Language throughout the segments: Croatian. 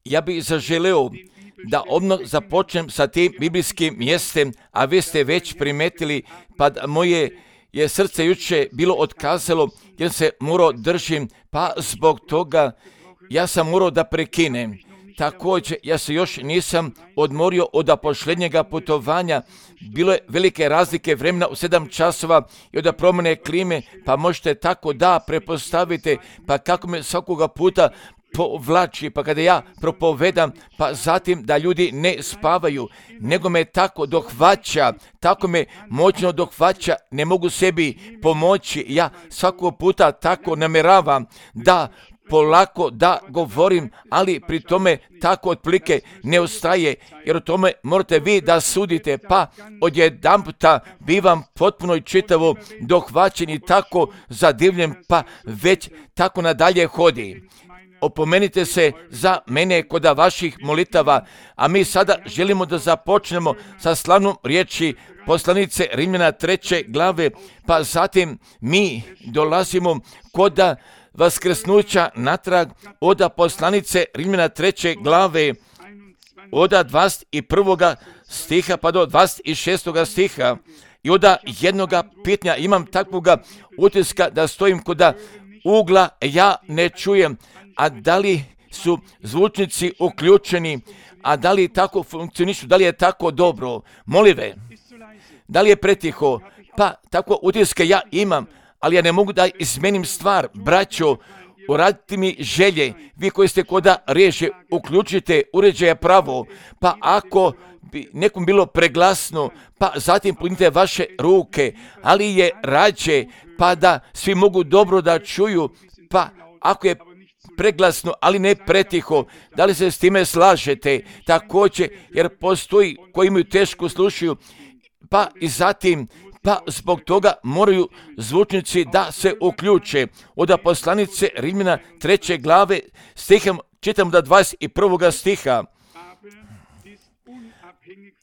Ja bih zaželeo da odmah započnem sa tim biblijskim mjestem, a vi ste već primetili, pa moje je srce juče bilo otkazalo jer se morao držim, pa zbog toga ja sam morao da prekinem. Također, ja se još nisam odmorio od posljednjega putovanja. Bilo je velike razlike vremena u 7 časova i od promjene klime, pa možete tako da prepostavite, pa kako me svakoga puta povlači, pa kada ja propovedam, pa zatim da ljudi ne spavaju, nego me tako dohvaća, tako me moćno dohvaća, ne mogu sebi pomoći. Ja svakog puta tako namjeravam da polako da govorim, ali pri tome tako otprilike ne ostaje, jer o tome morate vi da sudite, pa odjedanputa bivam potpuno i čitavo dohvaćen i tako zadivljen, pa već tako nadalje hodi. Opomenite se za mene kod vaših molitava, a mi sada želimo da započnemo sa slavnom riječi poslanice Rimljana 3. glave, pa zatim mi dolazimo kod vaskrsnuća natrag od poslanice Rimljana 3. glave, od 21. stiha pa do 26. stiha. I od jednoga pitanja imam takvoga utiska da stojim kod ugla, ja ne čujem, a da li su zvučnici uključeni, a da li tako funkcionišu, da li je tako dobro, molive, da li je pretiho, pa tako utiske ja imam, ali ja ne mogu da izmenim stvar. Braćo, uradite mi želje, vi koji ste koda reže, uključite uređaje pravo, pa ako bi nekom bilo preglasno, pa zatim punite vaše ruke, ali je rađe, pa da svi mogu dobro da čuju, pa ako je preglasno, ali ne pretiho, da li se s time slažete? Također, jer postoji koji imaju teško slušaju, pa i zatim, pa zbog toga moraju zvučnici da se uključe. Od poslanice Rimljana 3. glave stihom čitam do 21. stiha.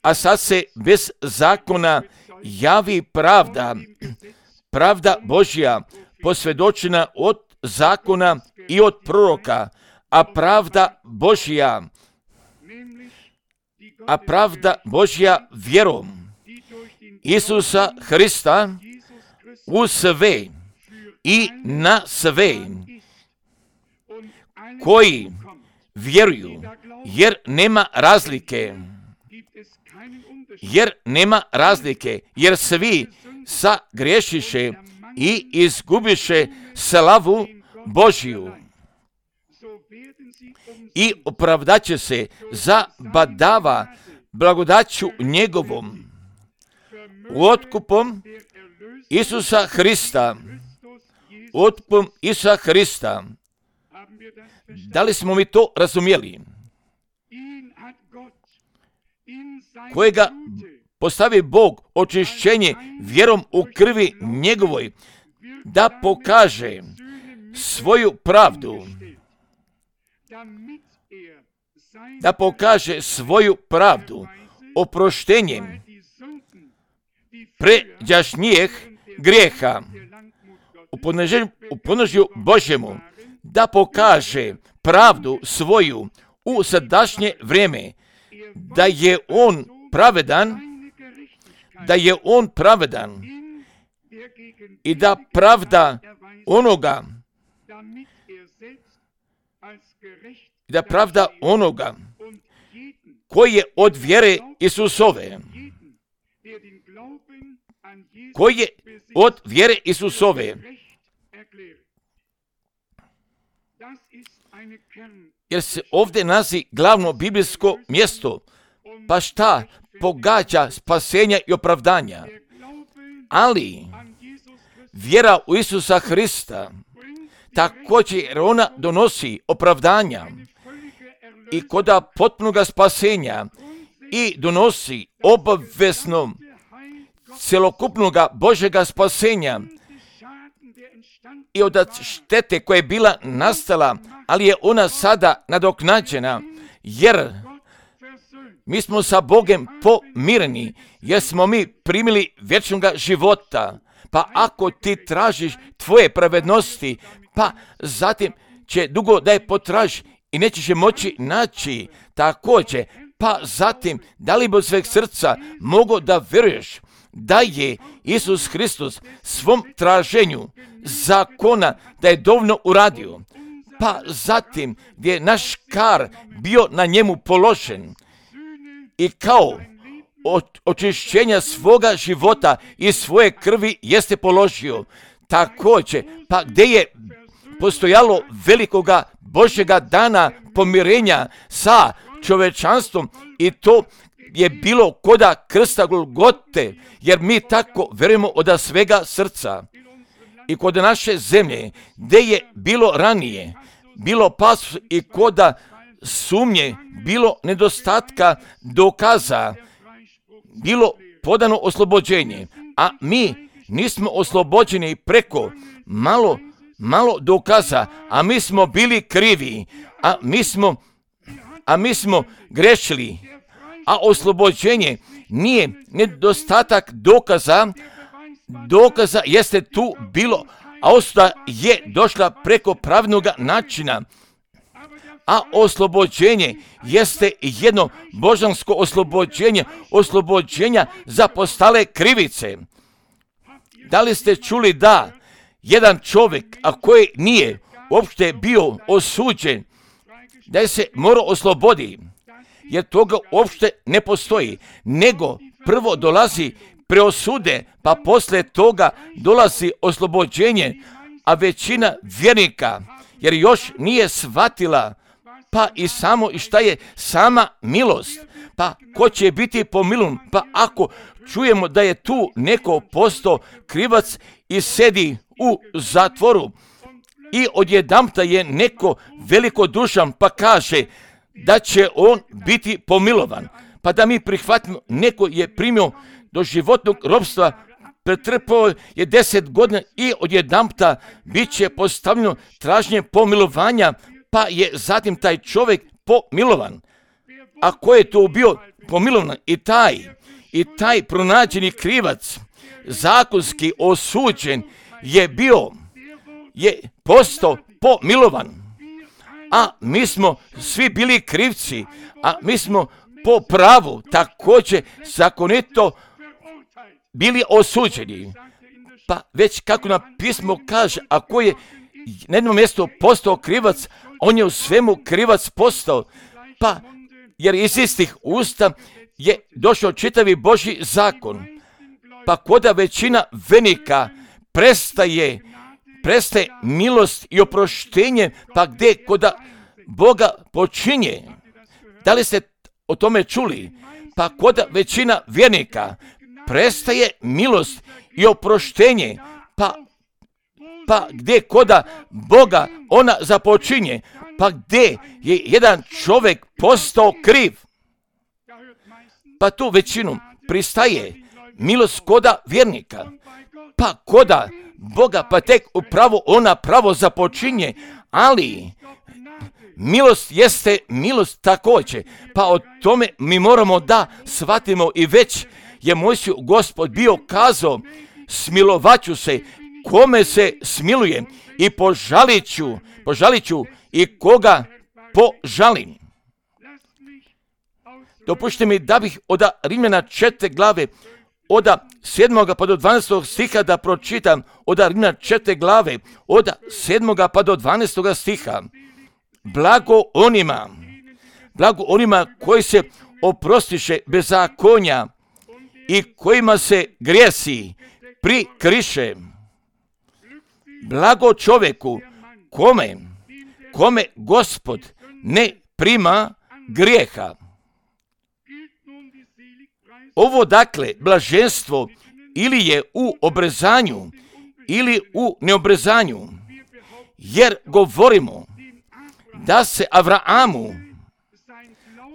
A sad se bez zakona javi pravda, pravda Božja, posvjedočena od zakona i od proroka, a pravda Božja vjerom Isusa Hrista u sve i na sve koji vjeruju, jer nema razlike, jer svi sagriješiše i izgubiše slavu Božju i opravdaće se za badava blagodaću njegovom otkupom Isusa Hrista. Da li smo mi to razumjeli? Kojega postavi Bog očišćenje vjerom u krvi njegovoj, da pokaže svoju pravdu oproštenjem pređašnjih grijeha u ponožju Božjemu, da pokaže pravdu svoju u sadašnje vrijeme, da je on pravedan i da pravda onoga koji je od vjere Isusove, jer se ovdje nalazi glavno biblijsko mjesto, pa šta pogađa spasenja i opravdanja, ali vjera u Isusa Hrista također ona donosi opravdanja i koda potpunoga spasenja i donosi obavezno celokupnoga Božjega spasenja i od štete koja je bila nastala, ali je ona sada nadoknađena, jer mi smo sa Bogom pomireni, jer smo mi primili vječnoga života. Pa ako ti tražiš tvoje pravednosti, pa zatim će dugo da je potražiš i nećeš je moći naći također. Pa zatim, da li bi od sveg srca mogo da veruješ da je Isus Hristos svom traženju zakona da je dovoljno uradio? Pa zatim, gdje je naš kar bio na njemu položen i kao očišćenja svoga života i svoje krvi jeste položio. Također, pa gdje je postojalo velikoga Božjega dana pomirenja sa čovečanstvom i to je bilo koda krsta Golgote, jer mi tako verujemo od svega srca. I kod naše zemlje, gdje je bilo ranije, bilo pas i koda sumnje, bilo nedostatka dokaza, bilo podano oslobođenje, a mi nismo oslobođeni preko malo dokaza, a mi smo bili krivi, a mi smo grešili, a oslobođenje nije nedostatak dokaza jeste tu bilo, a osuda je došla preko pravilnog načina, a oslobođenje jeste jedno božansko oslobođenja za postale krivice. Da li ste čuli da jedan čovjek, a koji nije uopšte bio osuđen, da se mora oslobodi, jer toga uopšte ne postoji, nego prvo dolazi preosude, pa poslije toga dolazi oslobođenje, a većina vjernika, jer još nije shvatila, pa i samo i šta je sama milost, pa ko će biti pomilovan, pa ako čujemo da je tu neko postao krivac i sedi u zatvoru i odjedanput je neko velikodušan pa kaže da će on biti pomilovan, pa da mi prihvatimo, neko je primio do životnog ropstva, pretrpao je 10 godina i odjedanput bit će postavljeno traženje pomilovanja, pa je zatim taj čovjek pomilovan. A ko je to bio pomilovan? I taj pronađeni krivac, zakonski osuđen, je postao pomilovan. A mi smo svi bili krivci, a mi smo po pravu također zakonito bili osuđeni. Pa već kako nam pismo kaže, ako je na jednom mjestu postao krivac, on je u svemu krivac postao. Pa jer iz istih usta je došao čitavi Božji zakon. Pa koda većina vernika prestaje milost i oproštenje, pa gdje koda Boga počinje. Da li ste o tome čuli? Pa koda većina vjernika prestaje milost i oproštenje, pa gdje koda Boga ona započinje, pa gdje je jedan čovjek postao kriv, pa tu većinu pristaje milost koda vjernika, pa koda Boga pa tek upravo ona pravo započinje, ali milost jeste milost također, pa o tome mi moramo da shvatimo i već je Mojsiju Gospod bio kazao, smilovat ću se kome se smiluje i požalit ću i koga požalim. Dopušte mi da bih od Rimljana 4 glave, od 7. pa do 12. stiha da pročitam, od Rimljana 4 glave, od 7. pa do 12. stiha. Blago onima koji se oprostiše bezakonja i kojima se grijesi prikriše. Blago čovjeku kome Gospod ne prima grijeha. Ovo dakle blaženstvo ili je u obrezanju ili u neobrezanju, jer govorimo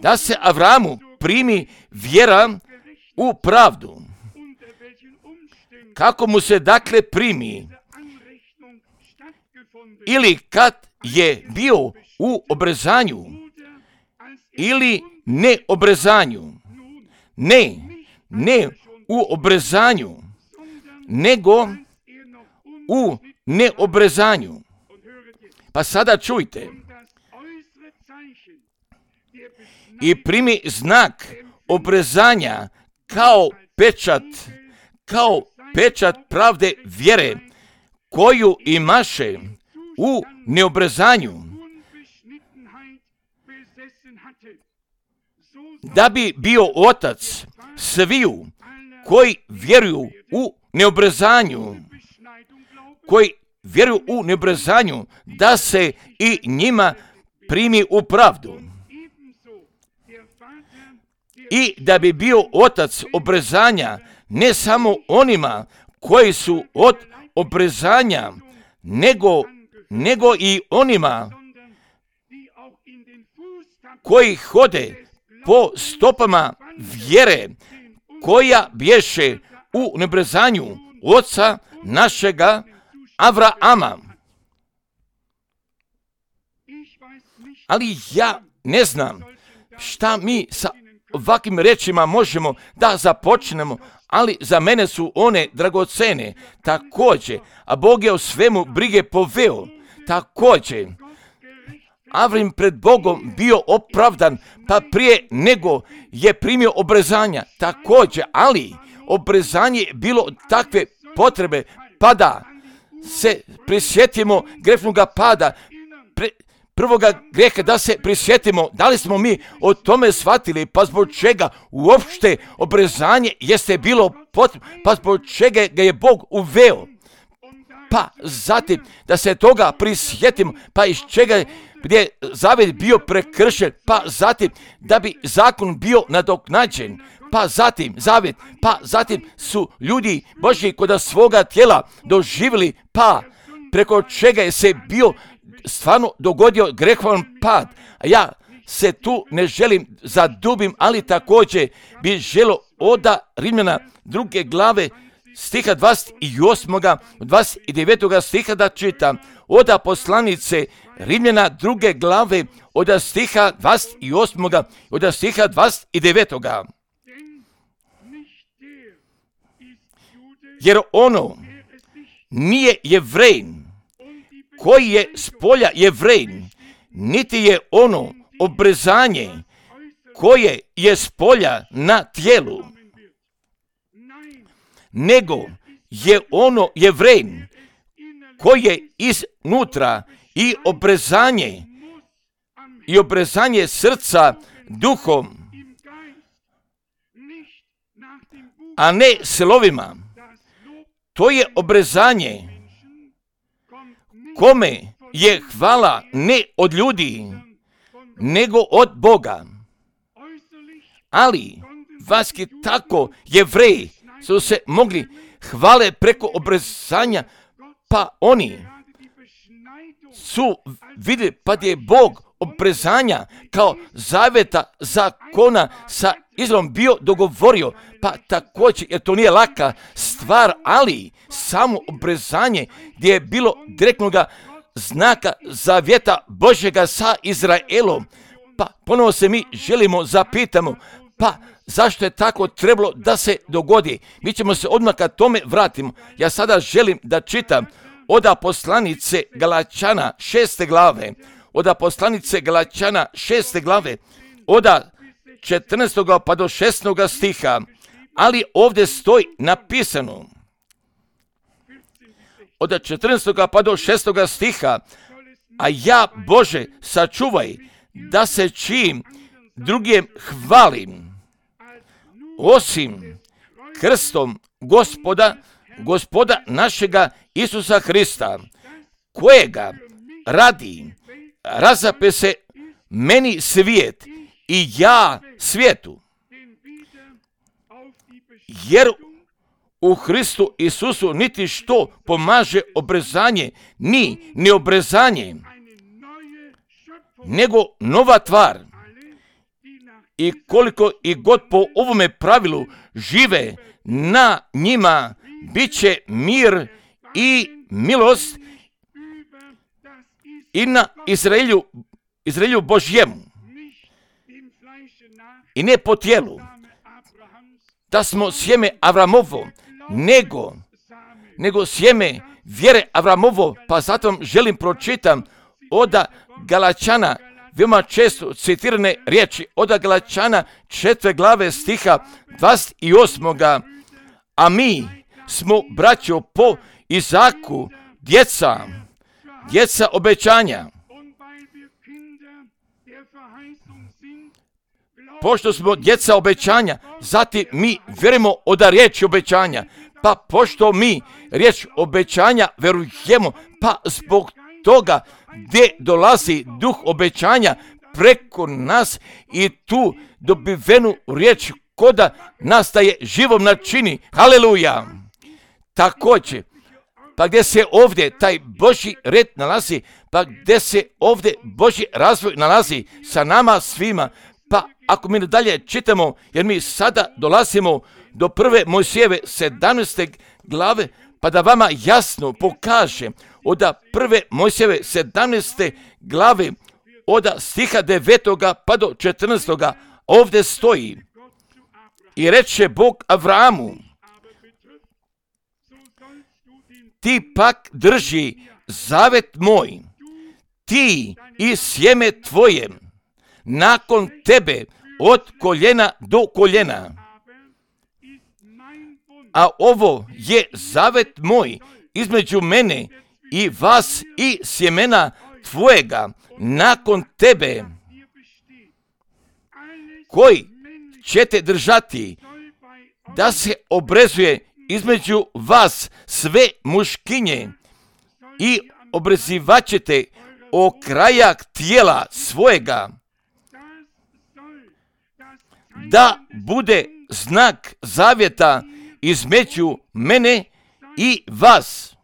da se Avramu primi vjera u pravdu. Kako mu se dakle primi? Ili kad je bio u obrezanju ili neobrezanju? Ne u obrezanju, nego u neobrezanju. Pa sada čujte, i primi znak obrezanja kao pečat pravde vjere koju imaše u neobrezanju, da bi bio otac sviju koji vjeruju u neobrezanju, da se i njima primi u pravdu. I da bi bio otac obrezanja ne samo onima koji su od obrezanja, nego i onima koji hode po stopama vjere koja bješe u neobrezanju oca našega Avrama. Ali ja ne znam šta mi sa ovakvim rečima možemo da započnemo, ali za mene su one dragocene također, a Bog je o svemu brige poveo također. Avrim pred Bogom bio opravdan, pa prije nego je primio obrezanja također, ali obrezanje je bilo takve potrebe, pa da se prisjetimo grešnoga pada, prvoga grijeha, da se prisjetimo da li smo mi o tome shvatili, pa zbog čega uopšte obrezanje jeste bilo potrebno, pa zbog čega ga je Bog uveo. Pa zatim da se toga prisjetimo, pa iz čega gdje zavjet bio prekršen, pa zatim da bi zakon bio nadoknađen, pa zatim zavjet, pa zatim su ljudi Božji kod svoga tijela doživjeli, pa preko čega je se bio stvarno dogodio grehovan pad. A ja se tu ne želim zadubim, ali također bi želio od Rimljana 2. glave stiha 28. 29. stiha da čitam. Od poslanice Rimljana 2. glave od stiha 28. od stiha 29. Jer ono nije Jevrejin koji je s polja Jevrejin, niti je ono obrezanje koje je s polja na tijelu, nego je ono Jevrejin koji je iznutra i obrezanje srca duhom, a ne slovima. To je obrezanje kome je hvala ne od ljudi, nego od Boga. Ali vaski tako Jevreji su se mogli hvale preko obrezanja, pa oni su vidjeli, pa je Bog obrezanja kao zavjeta zakona sa Izraelom bio dogovorio, pa također, jer to nije laka stvar, ali samo obrezanje gdje je bilo direktnoga znaka zavjeta Božjega sa Izraelom. Pa ponovo se mi želimo zapitamo, pa zašto je tako trebalo da se dogodi? Mi ćemo se odmah kad tome vratimo. Ja sada želim da čitam od poslanice Galačana 6. glave, od poslanice Galačana 6. glave, od 14. pa do 16. stiha, ali ovdje stoji napisano, od 14. pa do 6. stiha, a ja, Bože, sačuvaj da se čim drugim hvalim, osim krstom gospoda našega Isusa Hrista, kojega radi razape se meni svijet i ja svijetu, jer u Hristu Isusu niti što pomaže obrezanje, ni neobrezanje, nego nova tvar. I koliko i god po ovome pravilu žive na njima, bit će mir i milost i na Izraelju Božjemu. I ne po tijelu, da smo sjeme Avramovo, nego sjeme vjere Avramovo, pa zato želim pročitam od Galačana veoma često citirane riječi od Galačana 4. glave stiha 28. A mi smo, braćo, po Izaku djeca obećanja. Pošto smo djeca obećanja, zatim mi vjerujemo od riječi obećanja. Pa pošto mi riječ obećanja verujemo, pa zbog toga gdje dolazi duh obećanja preko nas i tu dobivenu riječ koda nastaje živom načini. Haleluja! Također, pa gdje se ovdje taj Božji red nalazi, pa gdje se ovdje Božji razvoj nalazi sa nama svima, pa ako mi dalje čitamo, jer mi sada dolazimo do 1. Mojsijeve 17. glave, pa da vama jasno pokažem od 1. Mojsijeve 17. glave od stiha 9. pa do 14. ovdje stoji: I reče Bog Avramu, ti pak drži zavet moj, ti i sjeme tvoje, nakon tebe od koljena do koljena. A ovo je zavet moj između mene i vas i sjemena tvojega nakon tebe, koji ćete držati, da se obrezuje između vas sve muškinje i obrezivat ćete okrajak tijela svojega, da bude znak zavjeta između mene i vas.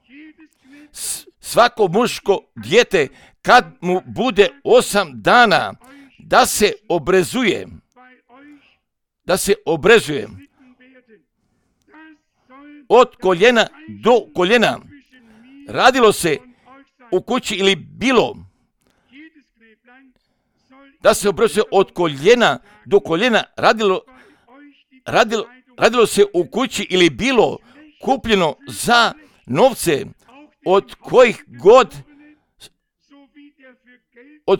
Svako muško dijete kad mu bude 8 dana da se obrezuje od koljena do koljena. Radilo se u kući ili bilo da se obrezuje od koljena do koljena. Radilo se u kući ili bilo kupljeno za novce od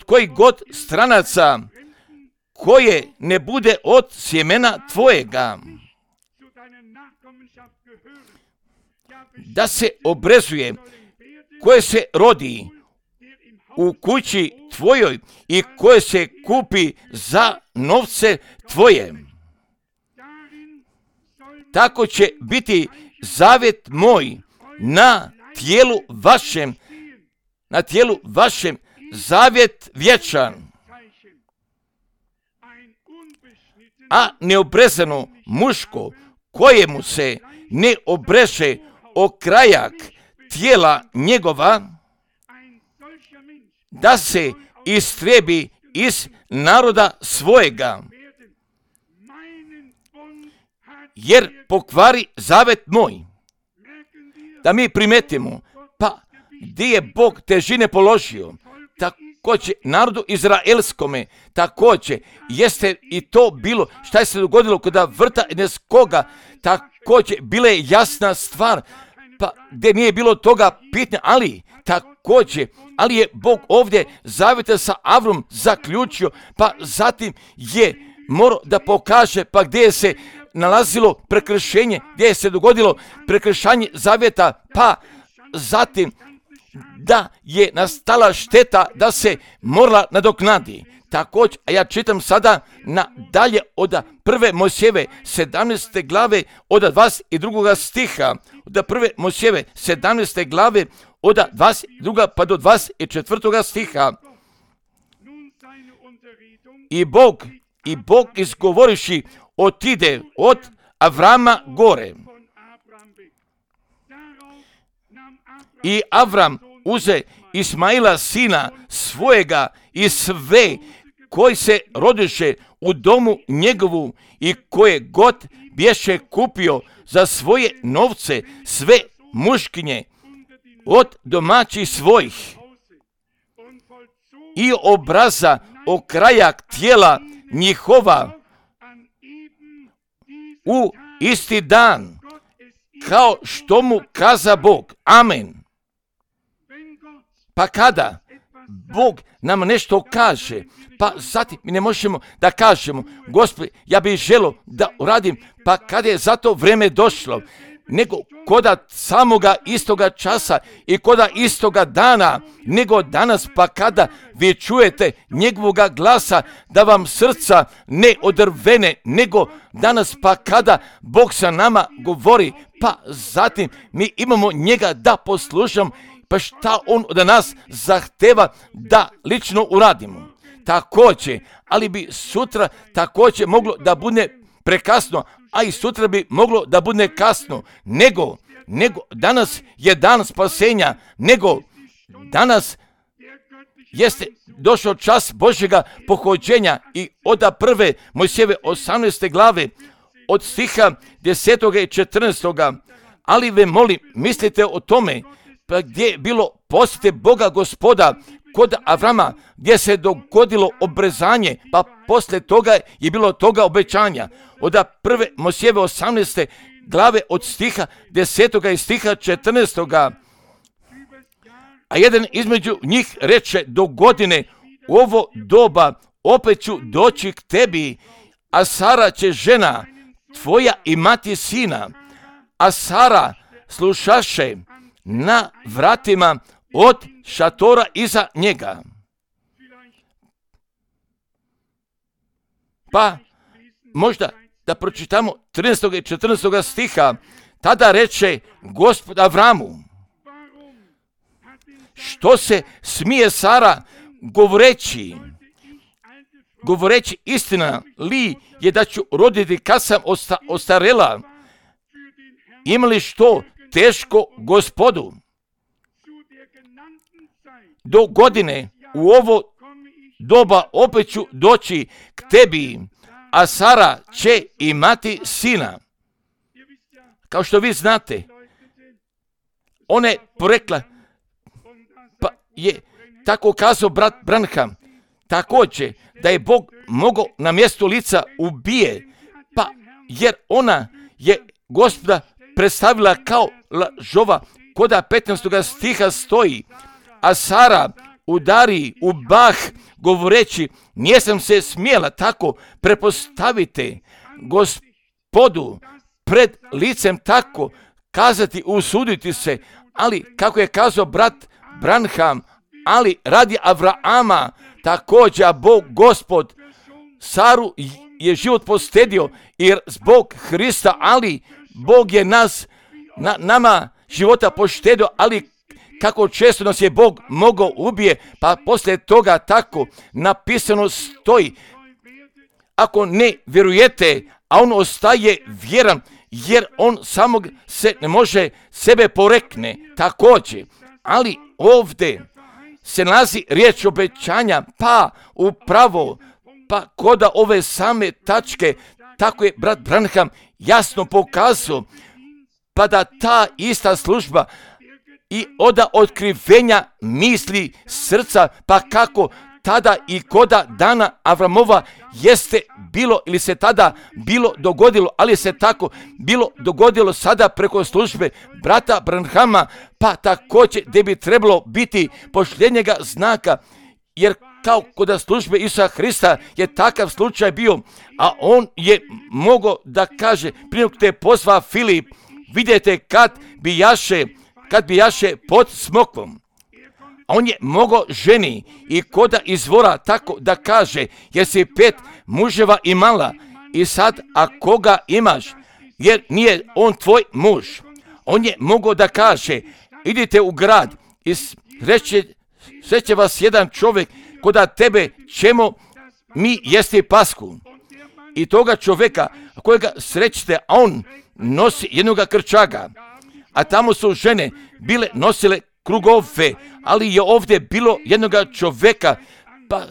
kojih god stranaca, koje ne bude od sjemena tvojega, da se obrezuje, koje se rodi u kući tvojoj i koje se kupi za novce tvoje. Tako će biti zavjet moj na tijelu vašem, zavjet vječan. A neobrezano muško, kojemu se ne obreže okrajak tijela njegova, da se istrebi iz naroda svojega, jer pokvari zavet moj. Da mi primetimo, pa gdje je Bog težine položio, također narodu izraelskome, također jeste i to bilo, šta je se dogodilo kod vrta Edenskoga, također bila je jasna stvar, pa gdje nije bilo toga pitanja, ali je Bog ovdje zavjeta sa Avrom zaključio, pa zatim je morao da pokaže, pa gdje se nalazilo prekršenje, gdje se dogodilo prekršanje zavjeta, pa zatim da je nastala šteta da se morala nadoknadi. Također, a ja čitam sada dalje od 1. Mojsijeve 17. glave od 22. stiha, od 1. Mojsijeve 17. glave od 22. pa do 24. stiha. I Bog izgovoriši otide od Avrama gore. I Avram uze Ismaila sina svojega i sve koji se rodiše u domu njegovu i koje god bješe kupio za svoje novce, sve muškinje od domaćih svojih, i obraza okrajak tijela njihova u isti dan, kao što mu kaza Bog. Amen. Pa kada Bog nam nešto kaže, pa zatim mi ne možemo da kažemo, Gospod, ja bih želio da uradim, pa kada je za to vrijeme došlo, nego koda samoga istoga časa i koda istoga dana, nego danas, pa kada vi čujete njegovoga glasa, da vam srca ne odrvene, nego danas, pa kada Bog sa nama govori, pa zatim mi imamo njega da poslušamo, pa šta on od nas zahteva da lično uradimo. Također, ali bi sutra također moglo da bude prekasno, a i sutra bi moglo da bude kasno, nego danas je dan spasenja, nego danas jeste došao čas Božjega pohođenja i od prve Mojsijeve 18. glave, od stiha 10. i 14. Ali ve molim, mislite o tome, pa gdje je bilo posjete Boga Gospoda kod Avrama, gdje se dogodilo obrezanje, pa poslije toga je bilo toga obećanja. Od prve Mojsijeve 18. glave od stiha 10. i stiha 14. A jedan između njih reče, do godine u ovo doba opet ću doći k tebi, a Sara će žena tvoja imati sina. A Sara slušaše na vratima od šatora iza njega. Pa možda da pročitamo 13. i 14. stiha. Tada reče Gospod Avramu, što se smije Sara govoreći istina li je da ću roditi kad sam ostarela, imali što teško Gospodu. Do godine u ovo doba opet ću doći k tebi, a Sara će imati sina. Kao što vi znate, ona je porekla, pa je tako kazao brat Branham, također da je Bog mogao na mjestu lica ubije, pa jer ona je Gospoda predstavila kao lažova, koda 15. stiha stoji, a Sara udari u bah govoreći, nisam se smjela tako prepostaviti Gospodu pred licem tako kazati, usuditi se, ali kako je kazao brat Branham, ali radi Avrama također, a Bog Gospod Saru je život postedio jer zbog Hrista, ali Bog je nama života poštedio, ali kako često nas je Bog mogao ubije, pa poslije toga tako napisano stoji, ako ne vjerujete, a on ostaje vjeran, jer on samog se ne može sebe porekne također, ali ovdje se nalazi riječ obećanja, pa upravo, pa koda ove same tačke, tako je brat Branham jasno pokazao, pa da ta ista služba i oda otkrivenja misli srca, pa kako tada i koda dana Avramova jeste bilo ili se tada bilo dogodilo, ali se tako bilo dogodilo sada preko službe brata Branhama, pa također gdje bi trebalo biti posljednjega znaka, jer kao kod službe Isusa Hrista je takav slučaj bio, a on je mogao da kaže, prije nego te pozva Filip, vidite kad bi jaše pod smokvom. A on je mogao ženi i koda izvora tako da kaže, jer si 5 muževa imala i sad, a koga imaš, jer nije on tvoj muž. On je mogao da kaže, idite u grad i sreće vas jedan čovjek koda tebe ćemo mi jesti pasku. I toga čovjeka kojega srećete, a on nosi jednoga krčaga, a tamo su žene bile nosile krugove, ali je ovdje bilo jednoga čovjeka, pa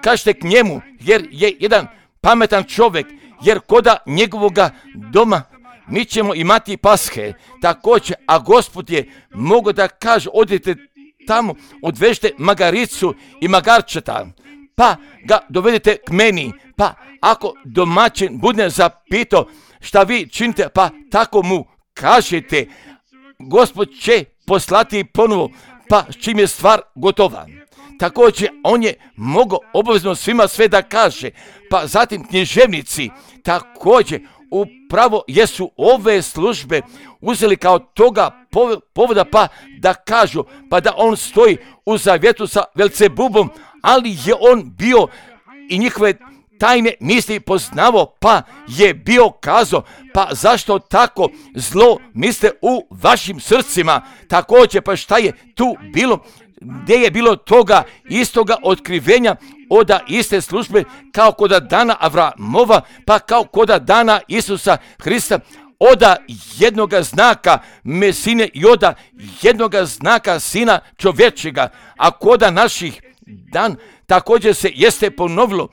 kažete k njemu, jer je jedan pametan čovjek, jer koda njegovoga doma mi ćemo imati paske također, a Gospod je mogao da kaže, odite tamo, odvežite magaricu i magarčeta, pa ga dovedite k meni, pa ako domaćin bude zapitao šta vi činite, pa tako mu kažete, Gospod će poslati ponovo, pa čim je stvar gotova. također on je mogao obavezno svima sve da kaže. Pa zatim književnici također upravo jesu ove službe uzeli kao toga povoda pa da kažu, pa da on stoji u zavjetu sa Belzebubom, ali je on bio i njihove tajne misli poznavao, pa je bio kazao, pa zašto tako zlo misle u vašim srcima? Također, pa šta je tu bilo? Gdje je bilo toga istoga otkrivenja od iste službe kao koda dana Avramova, pa kao koda dana Isusa Hrista, od jednoga znaka Mesine i od jednoga znaka Sina čovječega, a koda naših dan također se jeste ponovilo,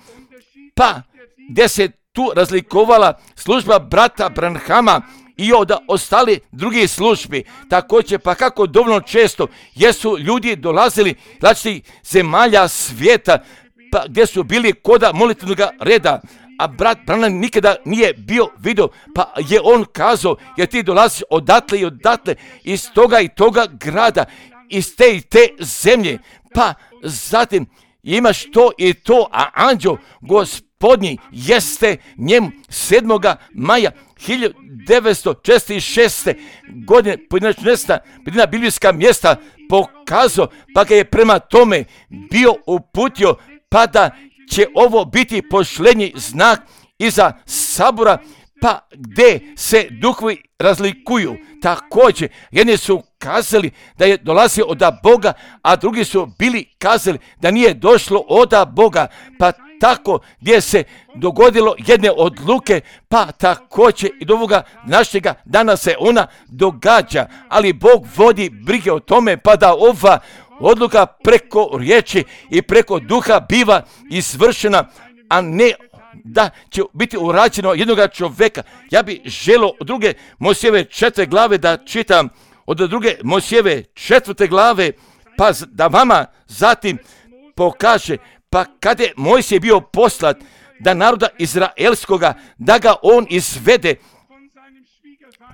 pa gdje se tu razlikovala služba brata Branhama i od ostali drugih službi. Također, pa kako dovoljno često jesu ljudi dolazili različitih zemalja svijeta, pa gdje su bili koda molitvenog reda, a brat Branham nikada nije bio vidio, pa je on kazao, jer ti dolaziš odatle i odatle, iz toga i toga grada, iz te i te zemlje, pa zatim imaš to i to, a anđeo Gospodnji jeste njemu 7. maja 1946. godine pojedinačna biblijska mjesta pokazao, pa ga je prema tome bio uputio, pa da će ovo biti posljednji znak iza sabora, pa gdje se duhovi razlikuju. Također, jedni su kazali da je dolazio od Boga, a drugi su bili kazali da nije došlo od Boga, pa tako gdje se dogodilo jedne odluke, pa također i do ovoga našega dana se ona događa, ali Bog vodi brige o tome, pa da ova odluka preko riječi i preko duha biva izvršena, a ne da će biti urađeno jednoga čovjeka. Ja bih želio od 2. Mojsijeve 4. glave da čitam, od 2. Mojsijeve 4. glave, pa da vama zatim pokaže, pa kada je Mojsije bio poslat da naroda izraelskoga, da ga on izvede,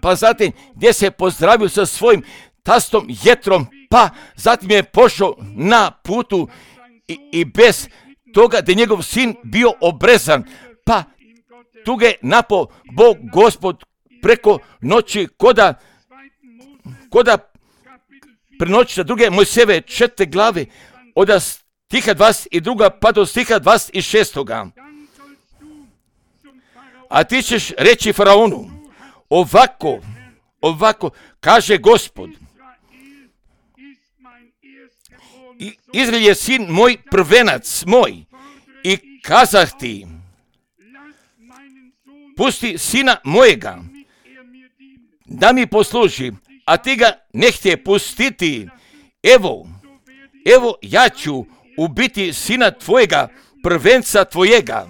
pa zatim gdje se pozdravio sa svojim tastom Jetrom, pa zatim je pošao na putu i bez toga da je njegov sin bio obrezan, pa tu ga je napao Bog Gospod preko noći koda prenoći na 2. Mojsijeve 4. glave od stiha 22. pa do stiha 26. A ti ćeš reći faraonu, ovako kaže Gospod, Izrael je sin moj, prvenac moj, i kazah ti, pusti sina mojega da mi posluži, a ti ga ne htje pustiti. Evo ja ću ubiti sina tvojega, prvenca tvojega.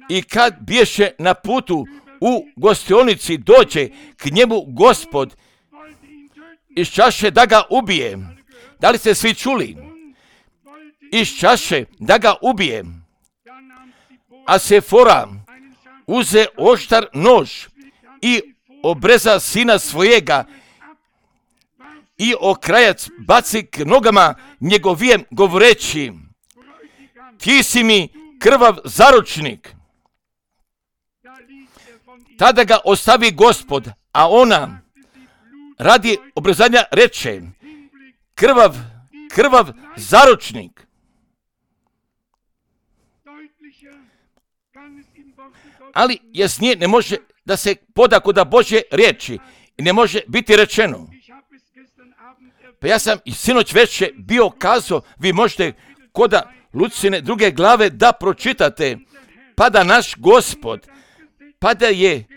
I kad biješe na putu u gostionici, dođe k njemu Gospod iz čaše da ga ubije. Da li ste svi čuli? Iz čaše da ga ubije. A Sefora uze oštar nož i obreza sina svojega i okrajac baci k nogama njegovijem, govoreći, ti si mi krvav zaručnik. Tada ga ostavi Gospod, a ona radi obrezanja reče, krvav zaručnik. Ali jasnije ne može da se poda kod Božje riječi i ne može biti rečeno. Pa ja sam i sinoć već bio kazao, vi možete kod Lucine 2. glave da pročitate, pa da naš Gospod, pa da je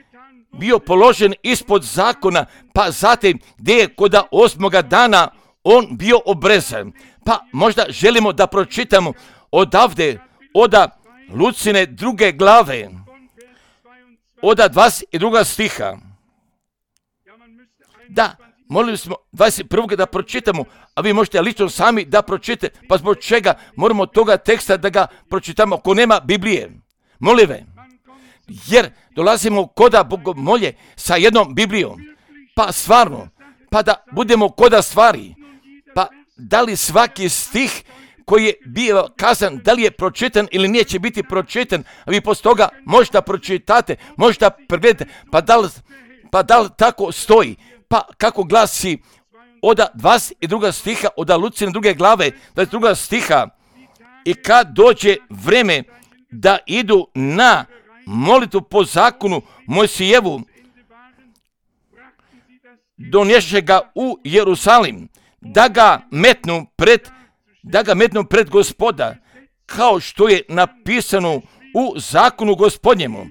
bio položen ispod zakona, pa zatim gdje je kod 8. dana on bio obrezan. Pa možda želimo da pročitamo odavde, od Lucine 2. glave, od 22. stiha. Da, molili smo 21. da pročitamo, a vi možete lično sami da pročitate. Pa zbog čega moramo toga teksta da ga pročitamo ako nema Biblije? Molive, jer dolazimo koda bogomolje sa jednom Biblijom. Pa stvarno, pa da budemo koda stvari. Pa da li svaki stih koji je bio kazan, da li je pročitan ili nije će biti pročitan, a vi poslije toga možda pročitate, možda pregledate, pa da li tako stoji, pa kako glasi od 22. stiha, od Lucine 2. glave, 22. stiha, i kad dođe vreme da idu na molitvu po zakonu Mojsijevu, donješe ga u Jerusalim, da ga metnu pred Gospoda, kao što je napisano u zakonu Gospodnjemu,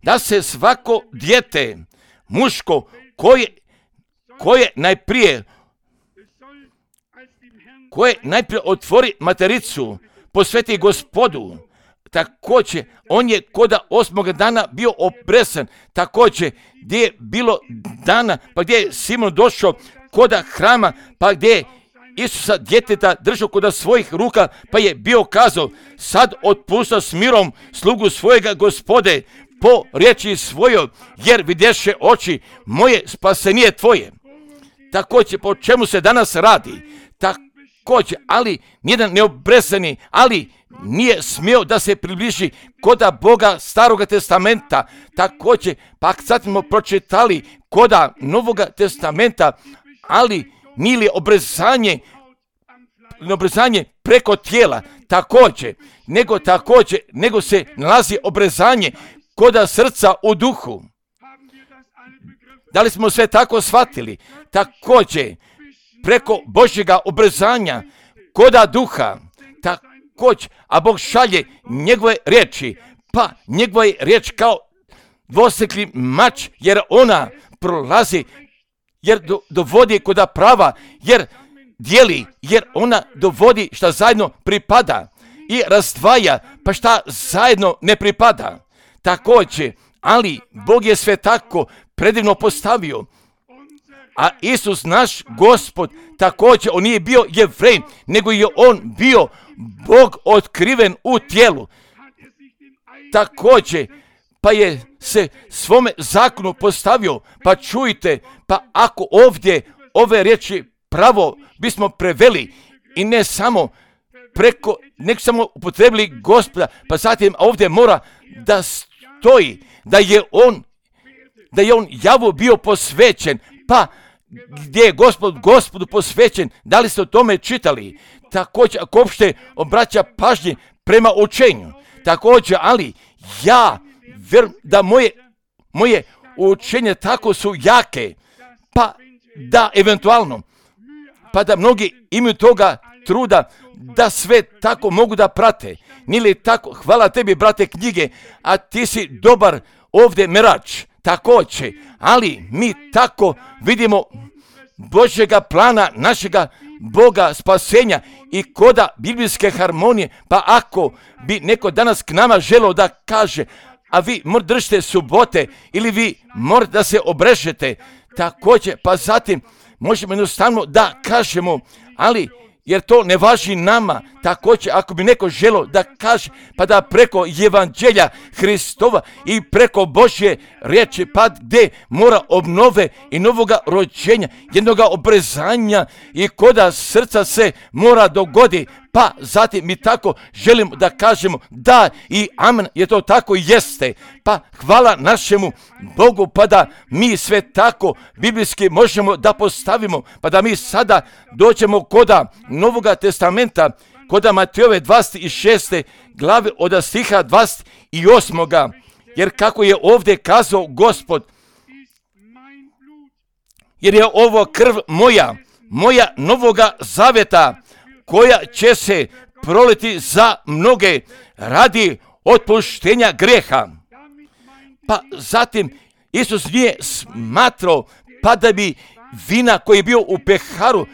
da se svako dijete muško koje najprije otvori matericu, posveti Gospodu. Također, on je koda 8. dana bio obrezan, također gdje je bilo dana, pa gdje je Simon došao koda hrama, pa gdje je Isusa djeteta držao koda svojih ruka, pa je bio kazao, sad otpušta s mirom slugu svojega Gospode po riječi svojoj, jer vidješe oči moje, spasenije tvoje. Također, po čemu se danas radi? Također, ali nijedan neobrezani, ali nije smio da se približi koda Boga Staroga testamenta. Također, pa sad smo pročitali koda Novoga testamenta, ali nije li obrezanje preko tijela, nego se nalazi obrezanje koda srca u duhu. Da li smo sve tako shvatili? Također, preko Božjega obrezanja koda duha, također, a Bog šalje njegove riječi, pa njegova je riječ kao dvosjekli mač, jer ona prolazi, jer dovodi koda prava, jer dijeli, jer ona dovodi šta zajedno pripada i razdvaja, pa šta zajedno ne pripada. Također, ali Bog je sve tako predivno postavio. A Isus, naš Gospod, također, on nije bio Jevrej, nego je on bio Bog otkriven u tijelu. Također, pa je se svome zakonu postavio, pa čujte, pa ako ovdje ove riječi pravo bismo preveli i ne samo nek samo upotrebili Gospoda, pa zatim ovdje mora da stoji, da je on Javu bio posvećen, pa gdje je Gospodu posvećen, da li ste o tome čitali? Također, ako uopšte obraća pažnje prema učenju, također, ali ja vjerujem da moje učenje tako su jake, pa da eventualno, pa da mnogi imaju toga truda da sve tako mogu da prate. Nije li tako? Hvala tebi, brate, knjige, a ti si dobar ovdje merač. Također, ali mi tako vidimo Božjega plana, našega Boga spasenja i koda biblijske harmonije, pa ako bi neko danas k nama želio da kaže, a vi držite subote ili vi morate da se obrežete, također, pa zatim možemo jednostavno da kažemo, ali jer to ne važi nama. Također, ako bi neko želio da kaže, pa da preko evanđelja Hristova i preko Božje riječi, pa gdje mora obnove i novoga rođenja, jednoga obrezanja i koda srca se mora dogodi, pa zatim mi tako želimo da kažemo da i amen, je to tako i jeste. Pa hvala našemu Bogu, pa da mi sve tako biblijski možemo da postavimo, pa da mi sada dođemo koda Novoga testamenta, koda Matejove 26. glave od stiha 28. Jer kako je ovdje kazao Gospod, jer je ovo krv moja novoga zaveta, koja će se proliti za mnoge radi otpuštenja grijeha. Pa zatim Isus nije smatrao, pa da bi vina koji je bio u peharu,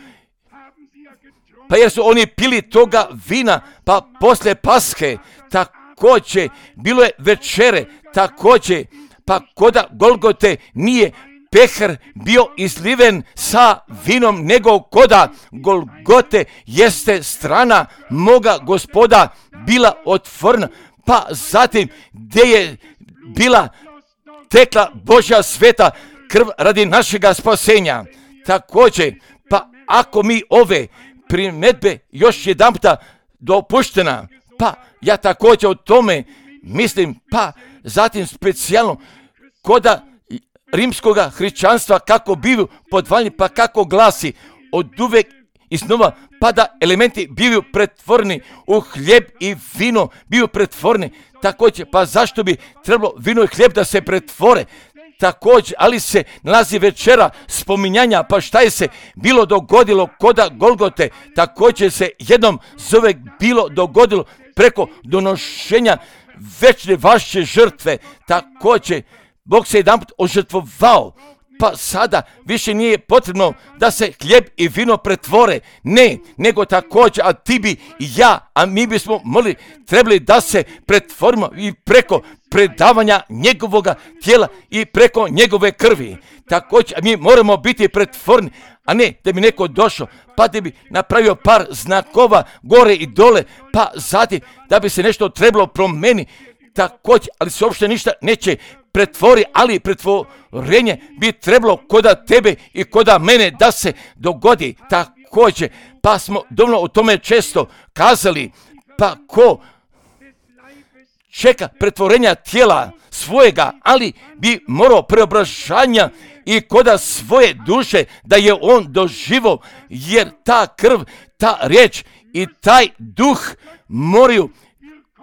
pa jer su oni pili toga vina, pa poslije Paske, također bilo je večere, također, pa koda Golgote nije pehar bio izliven sa vinom, nego koda Golgote jeste strana moga Gospoda bila otvorena, pa zatim gdje je bila tekla Božja sveta krv radi našega spasenja. Također, pa ako mi ove primjedbe još jedanputa dopuštena. Pa ja također o tome mislim, pa zatim specijalno koda rimskoga hrišćanstva kako bivaju podvaljeni, pa kako glasi od uvek iznova, pa da elementi bivaju pretvoreni u hljeb i vino, bivaju pretvoreni. Također, pa zašto bi trebalo vino i hljeb da se pretvore? Također, ali se nalazi večera spominjanja, pa šta je se bilo dogodilo koda Golgote, također se jednom zove bilo dogodilo preko donošenja večne vaše žrtve. Također, Bog se jedanput ožrtvovao, pa sada više nije potrebno da se hljeb i vino pretvore. Ne, nego također, a ti bi i ja, a mi bismo trebali da se pretvorimo i preko predavanja njegovoga tijela i preko njegove krvi. Također, mi moramo biti pretvorni, a ne da bi neko došao, pa da bi napravio par znakova gore i dole, pa zatim da bi se nešto trebalo promijeniti. Također, ali se uopšte ništa neće pretvori, ali pretvorenje bi trebalo koda tebe i koda mene da se dogodi. Također, pa smo dovoljno o tome često kazali, pa ko čeka pretvorenja tijela svojega, ali bi morao preobražanja i koda svoje duše da je on doživio, jer ta krv, ta riječ i taj duh moraju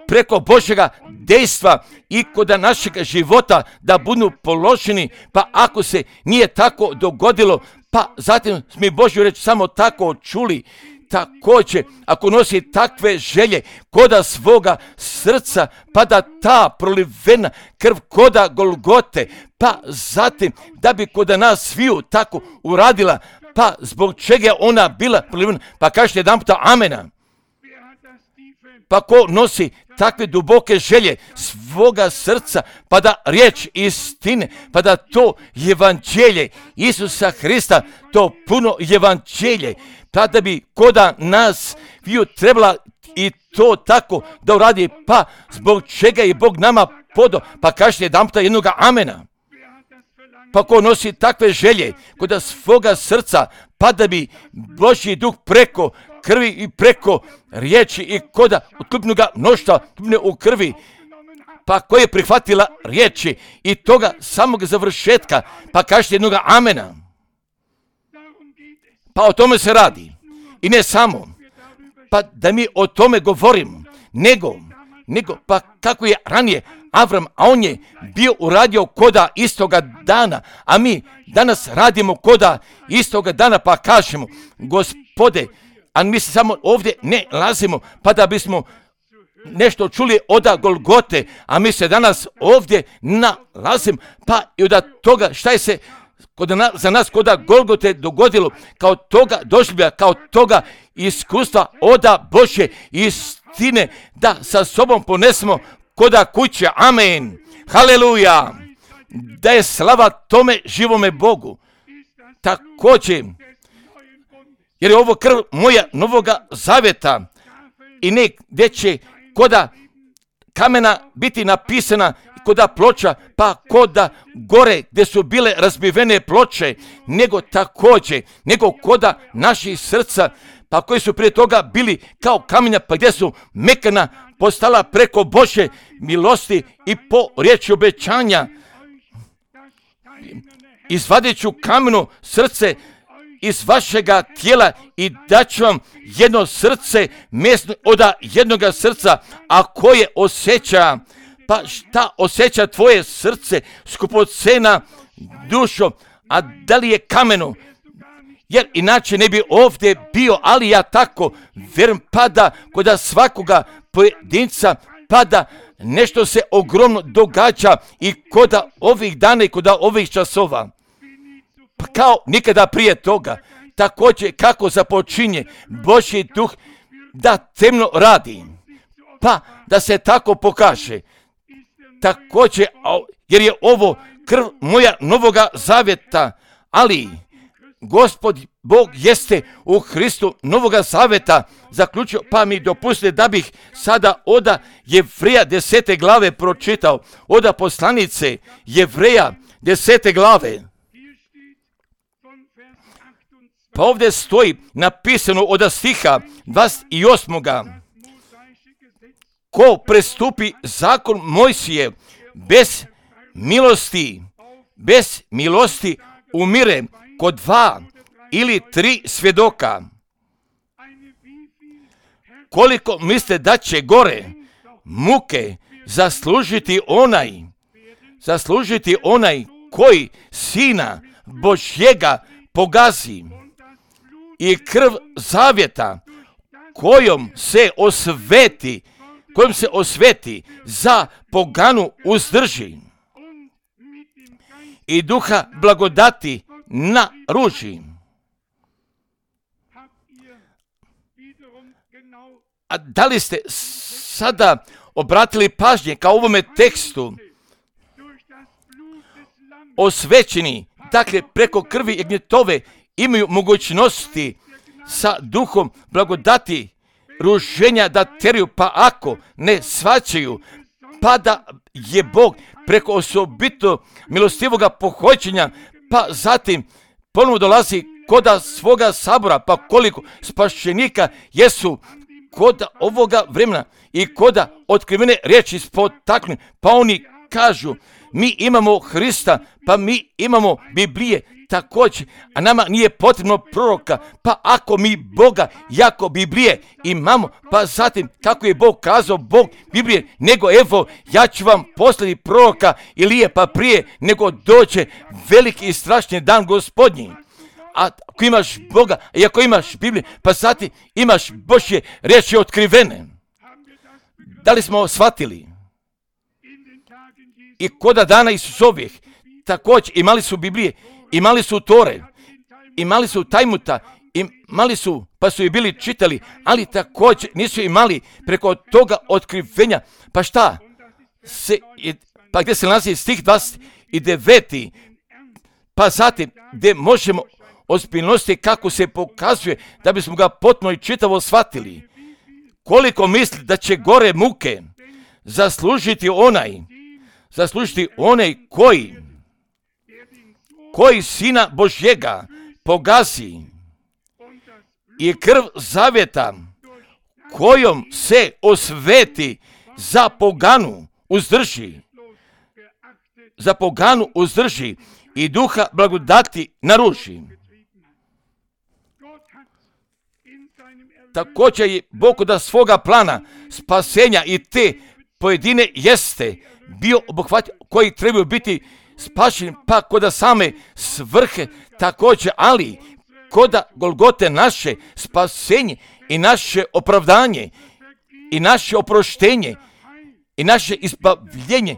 preko Božjega dejstva i koda našeg života da budu položeni, pa ako se nije tako dogodilo, pa zatim smo Božju reč samo tako čuli. Također, ako nosi takve želje koda svoga srca, pa da ta prolivena krv koda Golgote, pa zatim da bi koda nas sviju tako uradila, pa zbog čega je ona bila prolivena, pa kažete jedan puta amena. Pa ko nosi takve duboke želje svoga srca, pa da riječ istine, pa da to evanđelje Isusa Hrista, to puno evanđelje, pa da bi koda nas viju trebala i to tako da uradi, pa zbog čega je Bog nama podao, pa kažete jedan puta jednoga amena. Pa ko nosi takve želje koda svoga srca, pa da bi Božji duh preko krvi i preko riječi i koda otkupnoga mnoštva u krvi, pa koja je prihvatila riječi i toga samog završetka, pa kažete jednoga amena. Pa o tome se radi. I ne samo, pa da mi o tome govorimo, nego pa kako je ranije Avram, a on je bio uradio koda istoga dana, a mi danas radimo koda istoga dana, pa kažemo, Gospode, a mi se samo ovdje ne lazimo, pa da bismo nešto čuli od Golgote, a mi se danas ovdje nalazimo, pa i od toga šta je se za nas koda Golgote dogodilo, kao toga doživlja, kao toga iskustva oda Božje istine, da sa sobom ponesemo koda kuće. Amen. Haleluja. Da je slava tome živome Bogu. Također, jer je ovo krv moja novoga zaveta i ne gdje će koda kamena biti napisana, koda ploča, pa koda gore gdje su bile razbivene ploče, nego također, nego koda naših srca, pa koji su prije toga bili kao kamenja, pa gdje su mekana postala preko Božje milosti i po riječi obećanja. Izvadit ću kameno srce iz vašega tijela i daću vam jedno srce mjesto od jednoga srca, a koje osjeća, pa šta osjeća tvoje srce, skupocena dušo, a da li je kameno? Jer inače ne bi ovdje bio, ali ja tako vjerujem, pada koda svakoga pojedinca, pada nešto se ogromno događa i koda ovih dana i koda ovih časova. Pa kao nikada prije toga, također kako započinje Božji duh da temno radi, pa da se tako pokaže. Također, jer je ovo krv moja novoga zavjeta, ali Gospod Bog jeste u Hristu novoga zavjeta zaključio, pa mi dopustite da bih sada oda Jevreja 10. glave pročitao, oda poslanice Jevreja 10. glave. Pa ovdje stoji napisano od stiha 28. Ko prestupi zakon Mojsije bez milosti umire kod 2 ili 3 svjedoka. Koliko mislite da će gore muke zaslužiti onaj koji Sina Božjega pogazi i krv zavjeta kojom se osveti za poganu uzdrži i duha blagodati naruži. A da li ste sada obratili pažnje kao ovome tekstu? Osvećeni, dakle preko krvi jagnjetove, imaju mogućnosti sa duhom blagodati ruženja da teriju, pa ako ne shvaćaju, pa da je Bog preko osobito milostivoga pohođenja, pa zatim ponovno dolazi koda svoga sabora, pa koliko spašenika jesu koda ovoga vremena i koda otkrivene riječi spotaknu, pa oni kažu, mi imamo Hrista, pa mi imamo Biblije također, a nama nije potrebno proroka, pa ako mi Boga jako Biblije imamo, pa zatim kako je Bog kazao, Bog Biblije, nego evo, ja ću vam poslati proroka Ilije, pa prije nego dođe veliki i strašni dan Gospodnji. A ako imaš Boga i ako imaš Bibliju, pa zatim imaš Božje riječi otkrivene. Da li smo shvatili? I koda dana Isusovih, također imali su Biblije, imali su Tore, imali su Tajmuta, imali su, pa su i bili čitali, ali također nisu imali preko toga otkrivenja. Pa šta? Pa gdje se nalazi stih 29. Pa zatim gdje možemo ozbiljnosti kako se pokazuje da bismo ga potpuno i čitavo shvatili. Koliko misli da će gore muke zaslužiti onaj koji Sina Božjega pogazi i krv zavjeta kojom se osveti za poganu uzdrži i duha blagodati naruži. Također je Bog da svoga plana spasenja i te pojedine jeste bio obuhvat koji trebaju biti spašeni, pa koda same svrhe također, ali koda Golgote naše spasenje i naše opravdanje i naše oproštenje i naše izbavljenje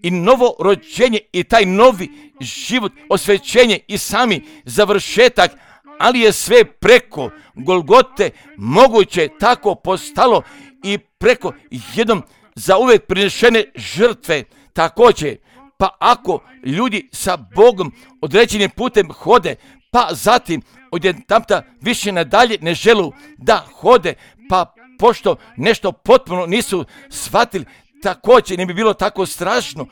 i novo rođenje i taj novi život, osvećenje i sami završetak, ali je sve preko Golgote moguće tako postalo i preko jednom zauvijek prinešene žrtve također. Pa ako ljudi sa Bogom određenim putem hode, pa zatim odjedanputa više nadalje ne želu da hode, pa pošto nešto potpuno nisu shvatili, također ne bi bilo tako strašno,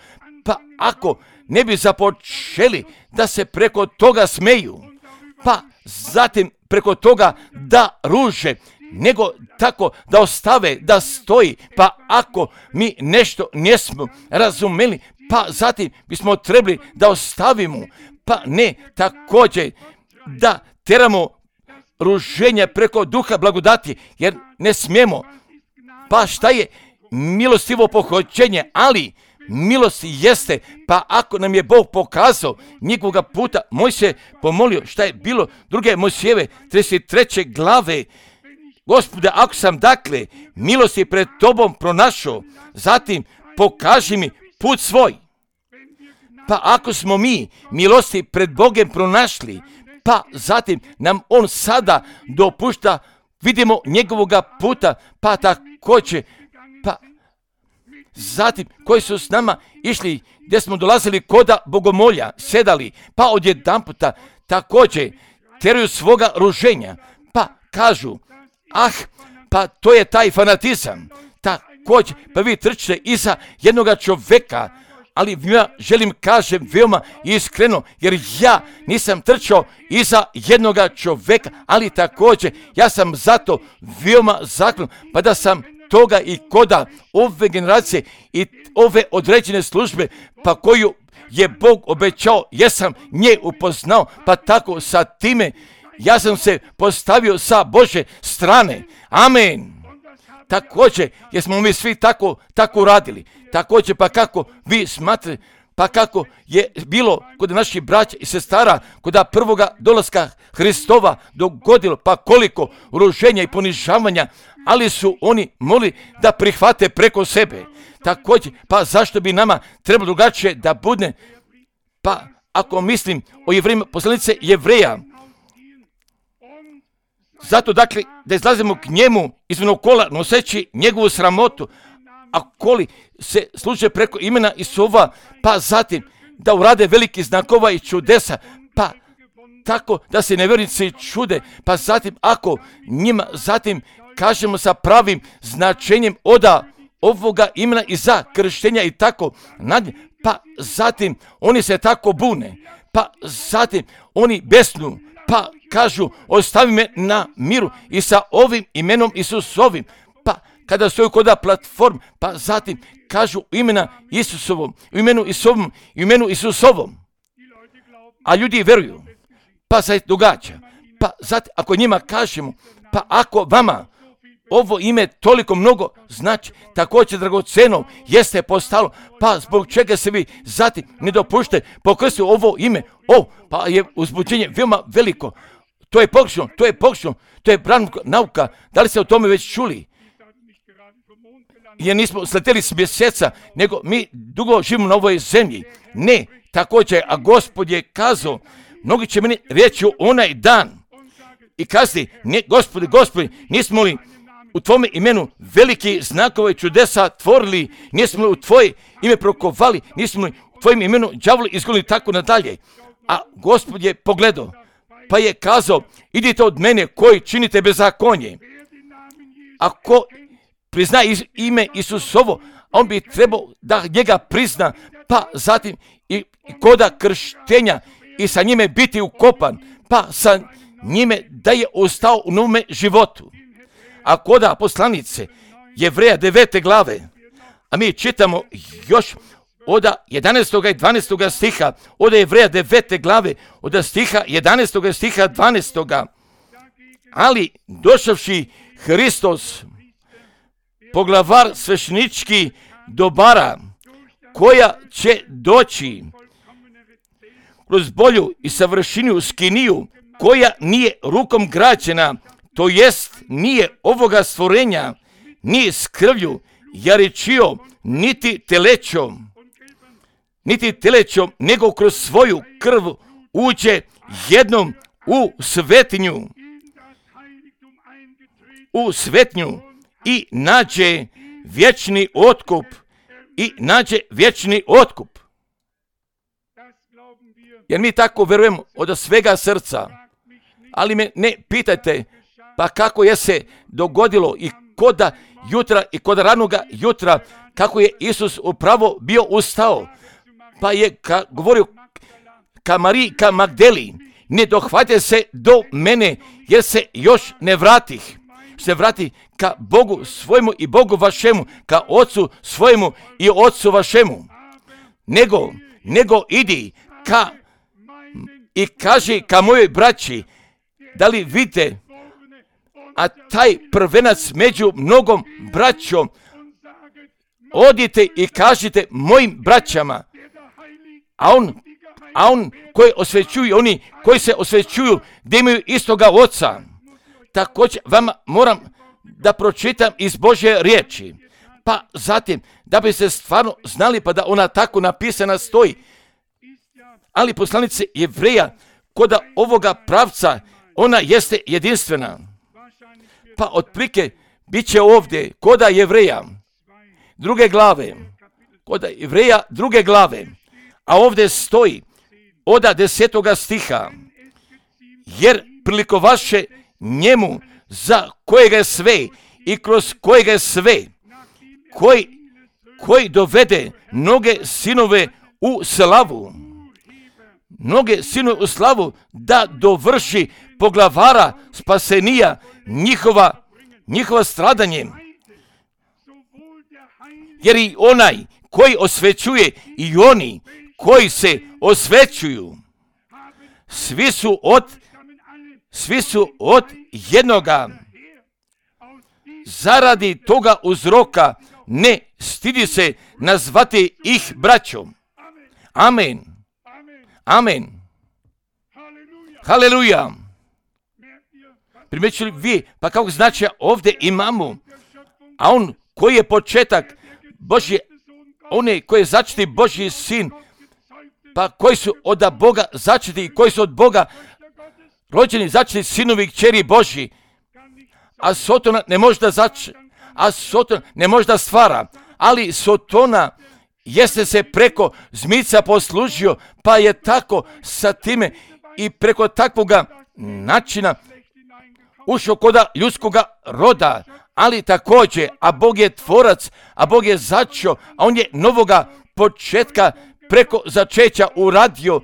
pa ako ne bi započeli da se preko toga smeju, pa zatim preko toga da ruže, nego tako da ostave, da stoji, pa ako mi nešto nismo razumeli, pa zatim bismo trebali da ostavimo, pa ne također da teramo ruženje preko duha blagodati, jer ne smijemo. Pa šta je milostivo pohođenje, ali milost jeste, pa ako nam je Bog pokazao njegovoga puta, Mojsije pomolio šta je bilo druge Mojsijeve 33. glave, Gospode, ako sam dakle milosti pred tobom pronašao, zatim pokaži mi put svoj. Pa ako smo mi milosti pred Bogom pronašli, pa zatim nam on sada dopušta, vidimo njegovoga puta, pa također, pa zatim koji su s nama išli, gdje smo dolazili koda bogomolja, sedali, pa odjedanputa također teraju svoga ruženja, pa kažu, pa to je taj fanatizam, također, pa vi trčite iza jednoga čovjeka, ali ja želim kažem veoma iskreno, jer ja nisam trčao iza jednoga čoveka, ali također ja sam zato veoma zaklon, pa da sam toga i koda ove generacije i ove određene službe, pa koju je Bog obećao, jesam nje upoznao, pa tako sa time ja sam se postavio sa Bože strane. Amen. Također, jesmo mi svi tako radili. Također, pa kako vi smatrate, pa kako je bilo kod naših braća i sestara, kod prvoga dolaska Hristova dogodilo, pa koliko uruženja i ponižavanja, ali su oni mogli da prihvate preko sebe. Također, pa zašto bi nama trebalo drugačije da bude? Pa ako mislim o Jevrejima, poslanice Jevreja, zato dakle da izlazimo k njemu izvan kola noseći njegovu sramotu, a koli se služe preko imena Isova, pa zatim da urade veliki znakova i čudesa, pa tako da se nevjernici čude, pa zatim ako njima zatim kažemo sa pravim značenjem oda ovoga imena i za krštenja i tako, pa zatim oni se tako bune, pa zatim oni besnu, pa kažu ostavi me na miru i sa ovim imenom Isusovim, pa kada stoju kod platform, pa zatim kažu imena Isusovom, u imenu Isovom, u imenu Isusovom, a ljudi veruju, pa se događa, pa zatim ako njima kažemo, pa ako vama ovo ime toliko mnogo znači, također dragoceno jeste postalo, pa zbog čega se vi zatim ne dopušte pokrstiti ovo ime, pa je uzbuđenje veoma veliko, to je pogrešno, to je nauka, da li ste o tome već čuli? Jer nismo sleteli s mjeseca, nego mi dugo živimo na ovoj zemlji. Ne, također, a Gospod je kazao, mnogi će meni reći onaj dan i kazati, ne, Gospodi, nismo li u tvome imenu veliki znakove čudesa tvorili, nismo li u tvoje ime prokovali, nismo li u tvojem imenu đavoli izgonili tako nadalje. A Gospod je pogledao, pa je kazao, idite od mene koji činite bezakonje. Ako prizna ime Isusovo, on bi trebao da njega prizna, pa zatim i koda krštenja i sa njime biti ukopan, pa sa njime da je ostao u novome životu. A koda poslanice Jevreja 9. glave, a mi čitamo još od 11. i 12. stiha, od Jevreja 9. glave, od stiha 11. stiha 12. Ali došavši Hristos, poglavar svešteničkih dobara, koja će doći kroz bolju i savršeniju skiniju, koja nije rukom građena, to jest nije ovoga stvorenja, ni s krvlju, jaričio, niti telećom, nego kroz svoju krv uđe jednom u svetnju i nađe vječni otkup. Jer mi tako verujemo od svega srca, ali me ne pitajte, pa kako je se dogodilo i koda jutra i koda ranoga jutra, kako je Isus upravo bio ustao, pa je govorio ka Mariji, ka Magdeli, ne dohvate se do mene, jer se još ne vratih. Se vrati ka Bogu svojemu i Bogu vašemu, ka Otcu svojemu i Otcu vašemu. Nego idi i kaži ka mojoj braći, da li vidite, a taj prvenac među mnogom braćom, odite i kažite mojim braćama, a on koji osvećuju, oni koji se osvećuju da imaju istoga Oca. Također vama moram da pročitam iz Božje riječi, pa zatim da bi se stvarno znali, pa da ona tako napisana stoji. Ali poslanice Jevreja, koda ovoga pravca, ona jeste jedinstvena. Pa otprilike bit će ovdje koda Jevreja druge glave, a ovdje stoji od 10. stiha, jer prilikovaše njemu za kojega je sve i kroz kojega je sve, koji koji dovede mnoge sinove u slavu. Mnoge sinove u slavu da dovrši poglavara spasenija njihova stradanje. Jer i onaj koji osvećuje i oni koji se osvećuju, svi su od jednoga. Zaradi toga uzroka ne stidi se nazvati ih braćom. Amen. Amen. Haleluja. Primjećuli vi, pa kako znači ovdje imamo, a on koji je početak Božje, one koji je začeti Božji sin, pa koji su od Boga začeti i koji su od Boga rođeni začeti sinovi i kćeri Božji, a Sotona ne može da Sotona ne može da stvara, ali Sotona jeste se preko zmica poslužio, pa je tako sa time i preko takvoga načina ušao koda ljudskoga roda, ali također, a Bog je tvorac, a Bog je začeo, a on je novoga početka preko začeća uradio,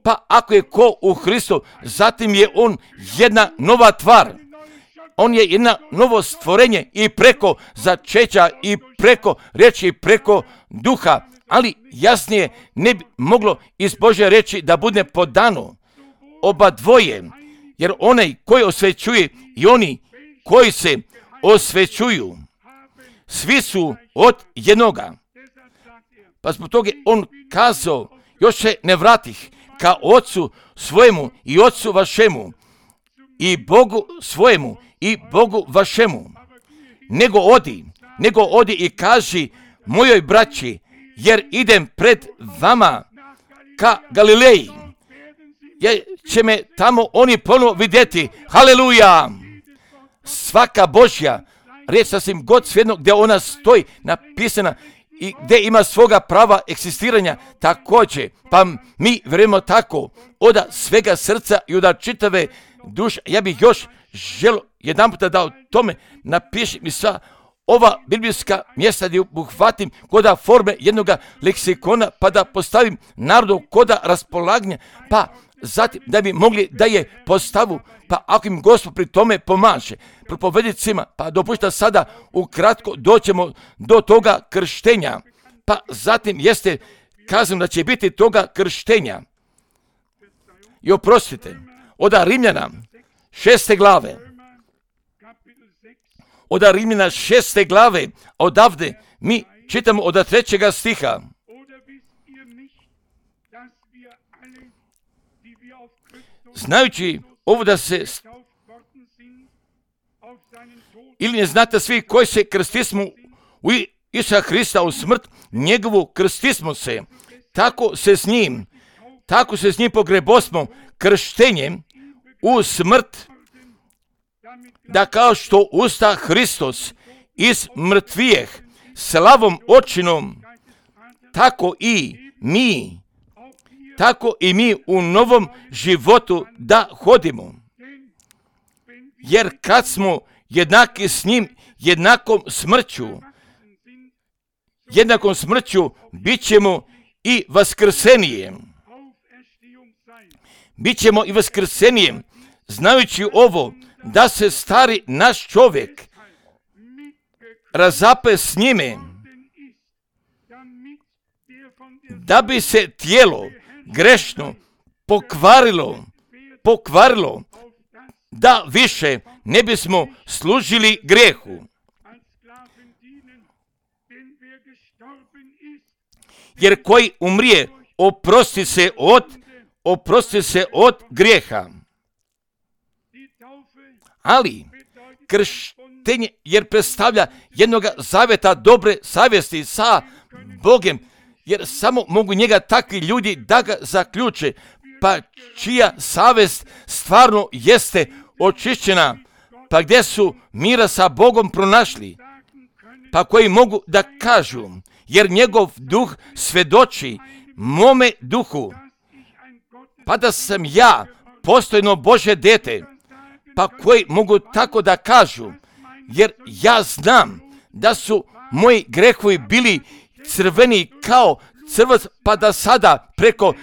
pa ako je ko u Hristu, zatim je on jedna nova tvar. On je jedna novo stvorenje i preko začeća i preko riječi i preko duha, ali jasnije ne bi moglo iz Božje riječi da bude podano oba dvoje, jer onaj koji osvećuje i oni koji se osvećuju, svi su od jednoga. Pa zbog toga on kazao, još se ne vratih ka Otcu svojemu i Otcu vašemu i Bogu svojemu i Bogu vašemu, nego odi i kaži mojoj braći, jer idem pred vama ka Galileji, jer će me tamo oni ponovo vidjeti. Haleluja! Svaka Božja riječ sasvim god svejedno gdje ona stoji napisana i gdje ima svoga prava eksistiranja također, pa mi vjerujemo tako od svega srca i od čitave duše. Ja bih još želio jedan puta da o tome napišem mi sva ova biblijska mjesta gdje uhvatim koda forme jednog leksikona, pa da postavim narodu koda raspolaganja, pa zatim da bi mogli da je postavu, pa ako im Gospod pri tome pomaže propovednicima, pa dopušta sada ukratko doćemo do toga krštenja, pa zatim jeste kazano da će biti toga krštenja. I oprostite, od Rimljana 6. glave, od Rimljana 6. glave, odavde mi čitamo od 3. stiha. Znajući ovo da se, ili ne znate svi koji se krstismo u Isusa Hrista u smrt, njegovu krstismo se, tako se s njim pogrebosmo krštenjem u smrt, da kao što usta Hristos iz mrtvijeh slavom očinom, tako i mi u novom životu da hodimo. Jer kad smo jednaki s njim jednakom smrću, bit ćemo i vaskrsenijem. Znajući ovo, da se stari naš čovjek razape s njime, da bi se tijelo grešno pokvarilo, da više ne bismo služili grijehu. Jer koji umrije, oprosti se od grijeha. Ali krštenje, jer predstavlja jednog zavjeta dobre savjesti sa Bogem, jer samo mogu njega takvi ljudi da ga zaključe, pa čija savjest stvarno jeste očišćena, pa gdje su mira sa Bogom pronašli, pa koji mogu da kažu, jer njegov duh svedoči mome duhu, pa da sam ja postojno Božje dete, pa koji mogu tako da kažu, jer ja znam da su moji grehovi bili crveni kao crvac, pa da sada preko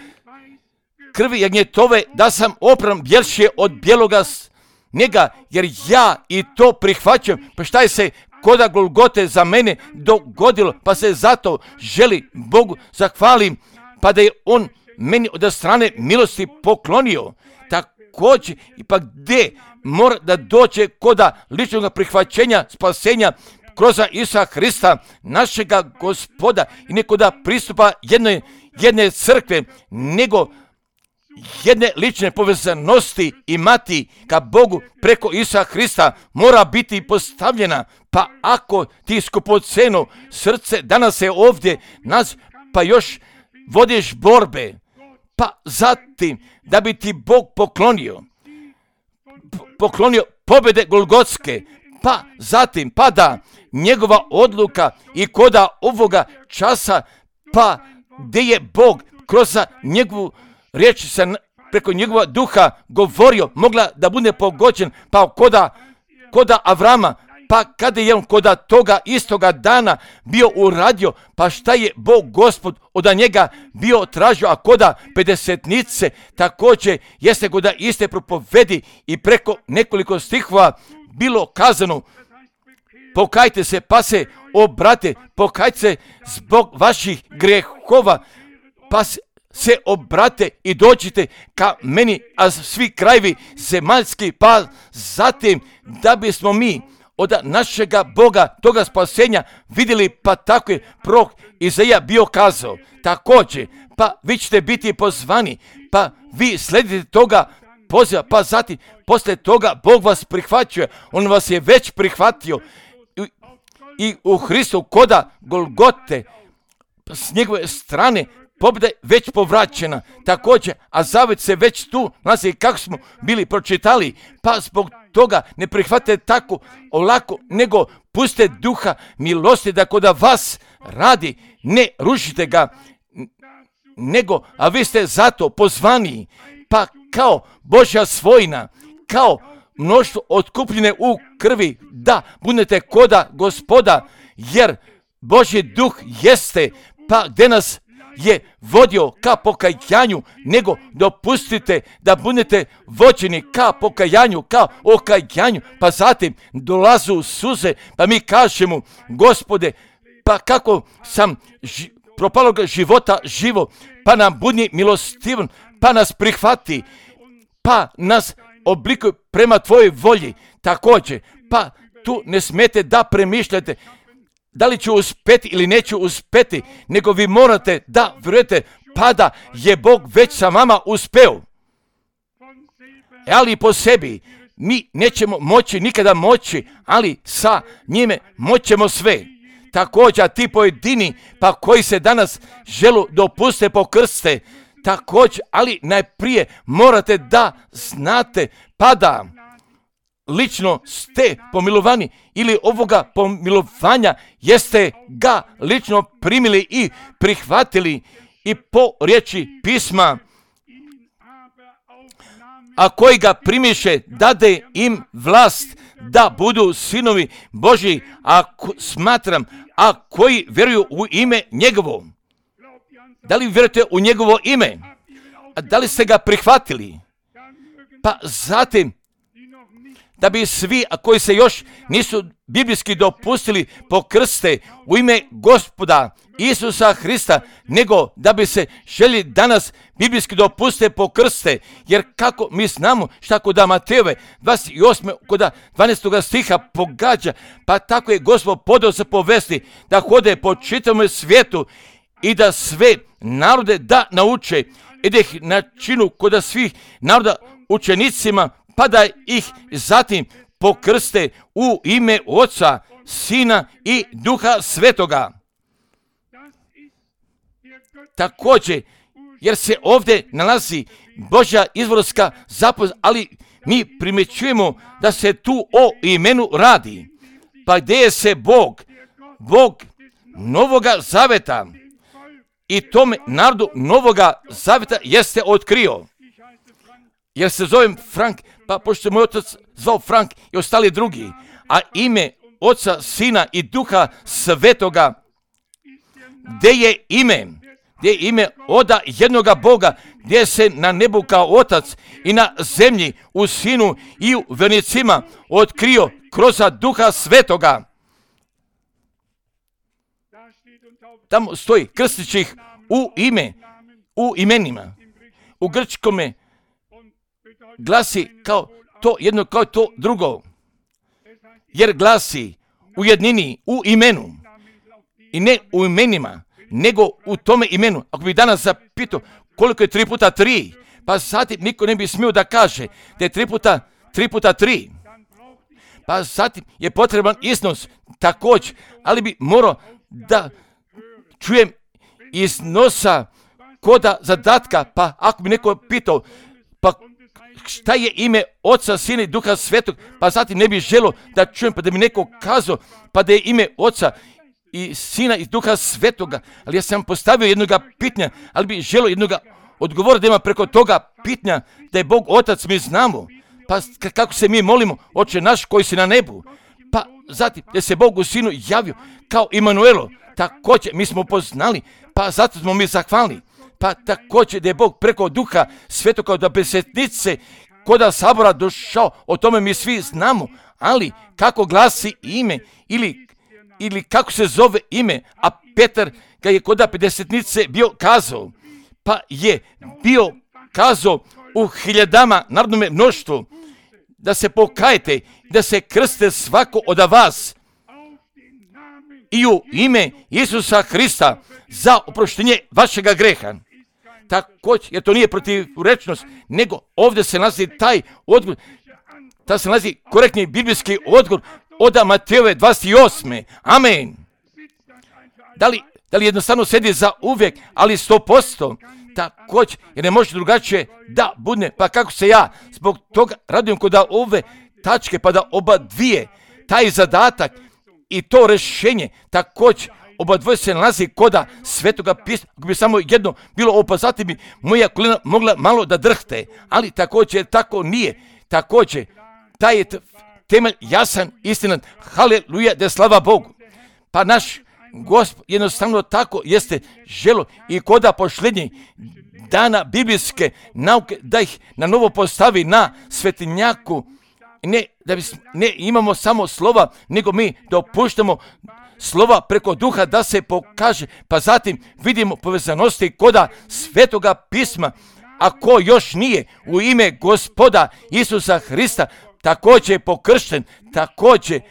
krvi jagnjetove da sam opran bjelše od bijeloga snijega, jer ja i to prihvaćam. Pa šta je se koda Golgote za mene dogodilo, pa se zato želi Bogu zahvalim, pa da je on meni od strane milosti poklonio. Također, pa gdje mora da dođe koda ličnog prihvaćenja spasenja kroz Isusa Hrista, našega Gospoda, i neko da pristupa jedne crkve, nego jedne lične povezanosti imati ka Bogu preko Isusa Hrista mora biti postavljena. Pa ako ti skupoceno srce danas je ovdje nas, pa još vodiš borbe, pa zatim da bi ti Bog poklonio pobjede Golgotske, pa zatim pa da njegova odluka i koda ovoga časa, pa gdje je Bog kroz njegovu riječ preko njegova duha govorio, mogla da bude pogođen, pa koda Avrama, pa kada je on koda toga istoga dana bio uradio, pa šta je Bog Gospod od njega bio tražio, a koda pedesetnice također jeste koda iste propovedi i preko nekoliko stihova bilo kazano, pokajte se pa se obrate, pokajte se zbog vaših grehova, pa se obrate i dođite ka meni, a svi krajevi zemaljski, pa zatim da bismo mi od našega Boga, toga spasenja vidjeli, pa tako je prorok Izaija bio kazao. Također, pa vi ćete biti pozvani, pa vi sledite toga poziva, pa zatim poslije toga Bog vas prihvaćuje, on vas je već prihvatio i u Hristu koda Golgote s njegove strane pobjeda je već povraćena. Također, a zavet se već tu nalazi kako smo bili pročitali, pa zbog toga ne prihvatite tako olako, nego pustite duha milosti da koda vas radi, ne rušite ga, nego, a vi ste zato pozvani, pa kao Božja svojina, kao mnoštvo otkupljene u krvi, da budete koda Gospoda, jer Božji duh jeste, pa gdje nas je vodio ka pokajanju, nego dopustite da budete vođeni ka pokajanju, ka okajanju, pa zatim dolazu suze, pa mi kažemo, Gospode, pa kako sam propalog života živo, pa nam budi milostivan, pa nas prihvati, pa nas oblikuje prema tvojoj volji. Također, pa tu ne smete da premišljate da li ću uspjeti ili neću uspjeti, nego vi morate da vjerujete, pa da je Bog već sa vama uspeo. Ali po sebi mi nećemo moći nikada moći, ali sa njime moćemo sve. Također ti pojedini, pa koji se danas želu dopuste pokrste, također, ali najprije morate da znate, pa da lično ste pomilovani ili ovoga pomilovanja jeste ga lično primili i prihvatili i po riječi pisma, a koji ga primiše dade im vlast da budu sinovi Božji, a koji vjeruju u ime njegovo. Da li vjerujete u njegovo ime? A da li ste ga prihvatili? Pa zatim, da bi svi, a koji se još nisu biblijski dopustili pokrste u ime Gospoda Isusa Hrista, nego da bi se želi danas biblijski dopuste pokrste, jer kako mi znamo šta kod Matejove 28. kod 12. stiha pogađa, pa tako je Gospod podao se povesti da hode po čitavom svijetu i da sve narode da nauče i da ih načinu kod svih naroda učenicima, pa da ih zatim pokrste u ime Oca, Sina i Duha Svetoga. Također, jer se ovdje nalazi Božja izvorska zapovijed, ali mi primjećujemo da se tu o imenu radi. Pa gdje je se Bog Novoga Zaveta i tome narodu Novoga Zaveta jeste otkrio. Jer se zovem Frank, pa pošto se moj otac zvao Frank i ostali drugi, a ime Oca, Sina i Duha Svetoga, gdje je ime oda jednoga Boga, gdje se na nebu kao Otac i na zemlji u Sinu i u vjernicima otkrio kroz Duha Svetoga. Tamo stoji krstići ih u imenima. U grčkome glasi kao to jedno, kao to drugo. Jer glasi u jednini, u imenu. I ne u imenima, nego u tome imenu. Ako bi danas zapitao koliko je 3 puta 3, pa zatim niko ne bi smio da kaže da je 3 puta 3. Pa zatim je potreban iznos također, ali bi morao da čujem iznosa koda zadatka, pa ako bi neko pitao, pa šta je ime Oca, Sina i Duha Svetog, pa zatim ne bi želio da čujem, pa da mi neko kazao, pa da je ime Oca i Sina i Duha Svetoga, ali ja sam postavio jednoga pitanja, ali bi želio jednoga odgovora da ima preko toga pitanja, da je Bog Otac, mi znamo, pa kako se mi molimo, Oče naš koji si na nebu, pa zatim da se Bog u Sinu javio kao Imanuelo, također mi smo poznali, pa zato smo mi zahvalni, pa također da je Bog preko Duha Svetog kao da besetnice koda sabora došao, o tome mi svi znamo, ali kako glasi ime ili kako se zove ime, a Petar ga je koda pedesetnice bio kazao, pa je bio kazao u hiljadama narodnome mnoštvu, da se pokajete, da se krste svako od vas i u ime Isusa Hrista za oproštenje vašega greha. Također, jer to nije protivrečnost, nego ovdje se nalazi taj odgovor, da se nalazi korektni biblijski odgovor od Matejove 28. Amen. Da li jednostavno sedi za uvijek, ali 100%, također, jer ne može drugačije da bude, pa kako se ja zbog toga radujem kod ove tačke, pa da oba dvije, taj zadatak i to rješenje, također, oba dvoje se nalazi koda Svetoga pisma. Ako bi samo jedno bilo ovo, pa zatim bi moja kolena mogla malo da drhte, ali također tako nije. Također, taj je temelj jasan, istinan, haleluja, da slava Bogu. Pa naš Gospod jednostavno tako jeste želo i koda posljednjih dana biblijske nauke da ih na novo postavi na svetinjaku. Ne imamo samo slova, nego mi dopuštamo slova preko Duha da se pokaže, pa zatim vidimo povezanosti koda Svetoga pisma. Ako još nije u ime Gospoda Isusa Hrista također je pokršten, također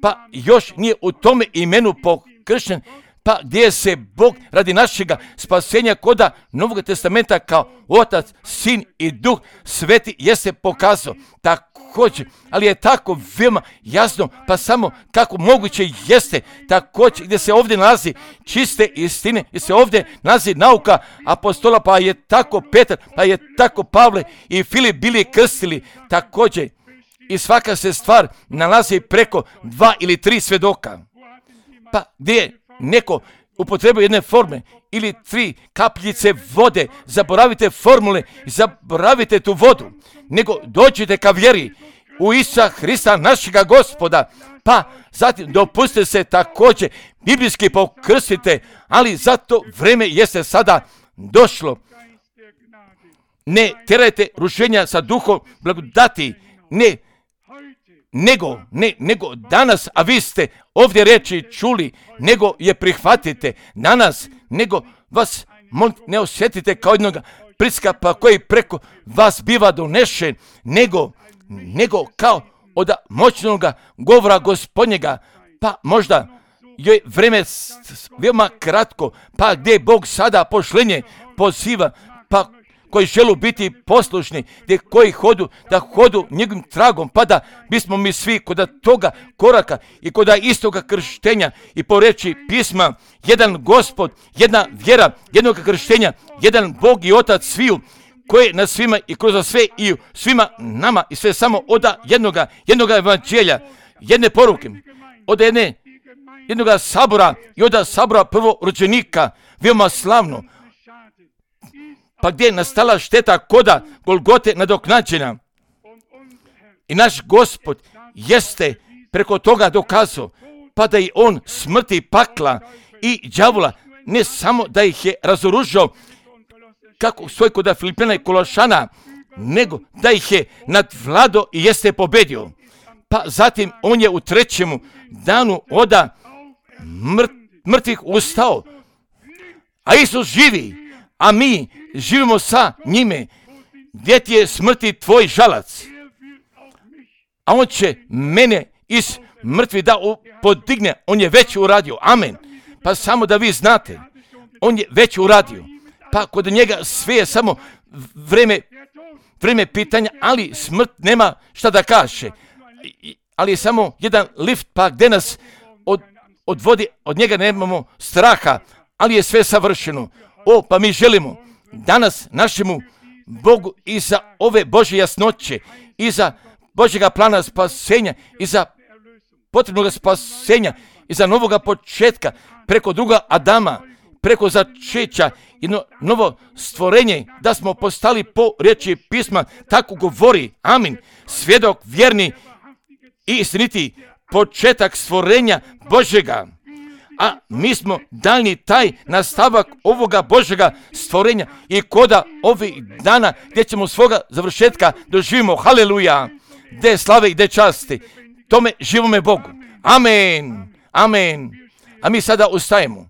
pa još nije u tome imenu pokršten, pa gdje se Bog radi našega spasenja koda Novog testamenta kao Otac, Sin i Duh Sveti jeste pokazao. Također, ali je tako veoma jasno, pa samo kako moguće jeste, također gdje se ovdje nalazi čiste istine, gdje se ovdje nalazi nauka apostola, pa je tako Petar, pa je tako Pavle i Filip bili krstili, također i svaka se stvar nalazi preko 2 ili 3 svedoka. Pa gdje je neko upotrebio jedne forme ili 3 kapljice vode, zaboravite formule, zaboravite tu vodu, nego dođite ka vjeri u Isusa Hrista našega Gospoda, pa zatim dopustite se također biblijski pokrstite, ali zato vreme jeste sada došlo. Ne terajte rušenja sa duhom blagodati, nego danas, a vi ste ovdje reči čuli, nego je prihvatite danas, nego vas ne osjetite kao jednog priskapa koji preko vas biva donešen, nego kao od moćnog govora Gospodnjega, pa možda je vreme veoma kratko, pa gdje Bog sada pošlenje poziva, pa koji želu biti poslušni, koji hodu njegovim tragom, pa da bismo mi svi kod toga koraka i kod istoga krštenja i po reči pisma, jedan Gospod, jedna vjera, jednog krštenja, jedan Bog i Otac sviju, koji na svima i kroz sve i svima nama i sve samo od jednoga evanđelja, jedne poruke, od jednoga sabora i od sabora prvorođenika, veoma slavno, pa gdje je nastala šteta koda Golgote nadoknađena. I naš Gospod jeste preko toga dokazao, pa da i on smrti pakla i đavola, ne samo da ih je razoružao, kako svoj kod Filipina i Kološana, nego da ih je nadvladao i jeste pobedio. Pa zatim on je u 3. danu od mrtvih ustao, a Isus živi, a mi živimo sa njime. Gdje ti je smrti tvoj žalac? A on će mene iz mrtvi da podigne. On je već uradio. Amen. Pa samo da vi znate, on je već uradio. Pa kod njega sve je samo vreme pitanja, ali smrt nema šta da kaže. Ali je samo jedan lift, pa gdje nas odvodi, od njega nemamo straha, ali je sve savršeno. Pa mi želimo danas našemu Bogu i za ove Božje jasnoće, i za Božjega plana spasenja, i za potrebnog spasenja, i za novoga početka, preko druga Adama, preko začeća, jedno novo stvorenje, da smo postali po riječi pisma, tako govori, amin, svjedok vjerni i istiniti, početak stvorenja Božjega. A mi smo daljni taj nastavak ovoga Božjega stvorenja i koda ovih dana gdje ćemo svoga završetka doživimo, haleluja, gdje slave i gdje časti, tome živome Bogu, amen, amen. A mi sada ustajemo.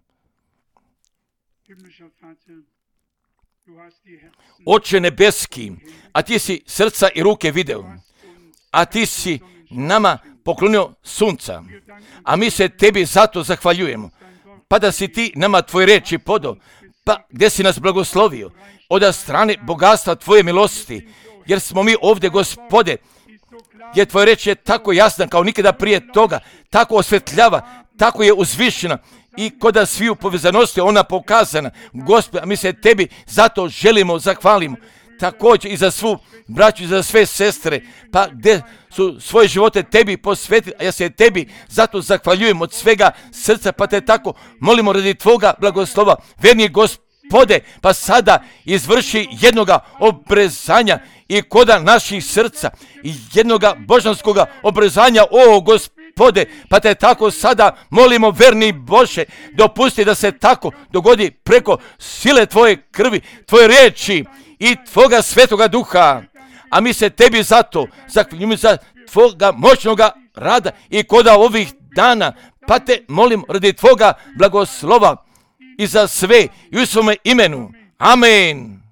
Oče nebeski, a ti si srca i ruke video, a ti si nama poklonio sunca, a mi se tebi zato zahvaljujemo, pa da si ti nama tvoje reči podao, pa gdje si nas blagoslovio, od strane bogatstva tvoje milosti, jer smo mi ovdje, Gospode, jer tvoje reč je tako jasna kao nikada prije toga, tako osvetljava, tako je uzvišena i kod sviju povezanosti ona pokazana. Gospode, a mi se tebi zato želimo, zahvalimo. Također i za svu braću i za sve sestre, pa gdje su svoje živote tebi posvetili, a ja se tebi zato zahvaljujem od svega srca, pa te tako molimo radi tvoga blagoslova, verni Gospode, pa sada izvrši jednoga obrezanja i koda naših srca i jednoga božanskoga obrezanja, o Gospode, pa te tako sada molimo, verni Bože, dopusti da se tako dogodi preko sile tvoje krvi, tvoje riječi i tvoga svetoga duha, a mi se tebi zato zahvaljujemo za tvoga moćnoga rada i koda ovih dana, pa te molim radi tvoga blagoslova i za sve i u svome imenu, amen.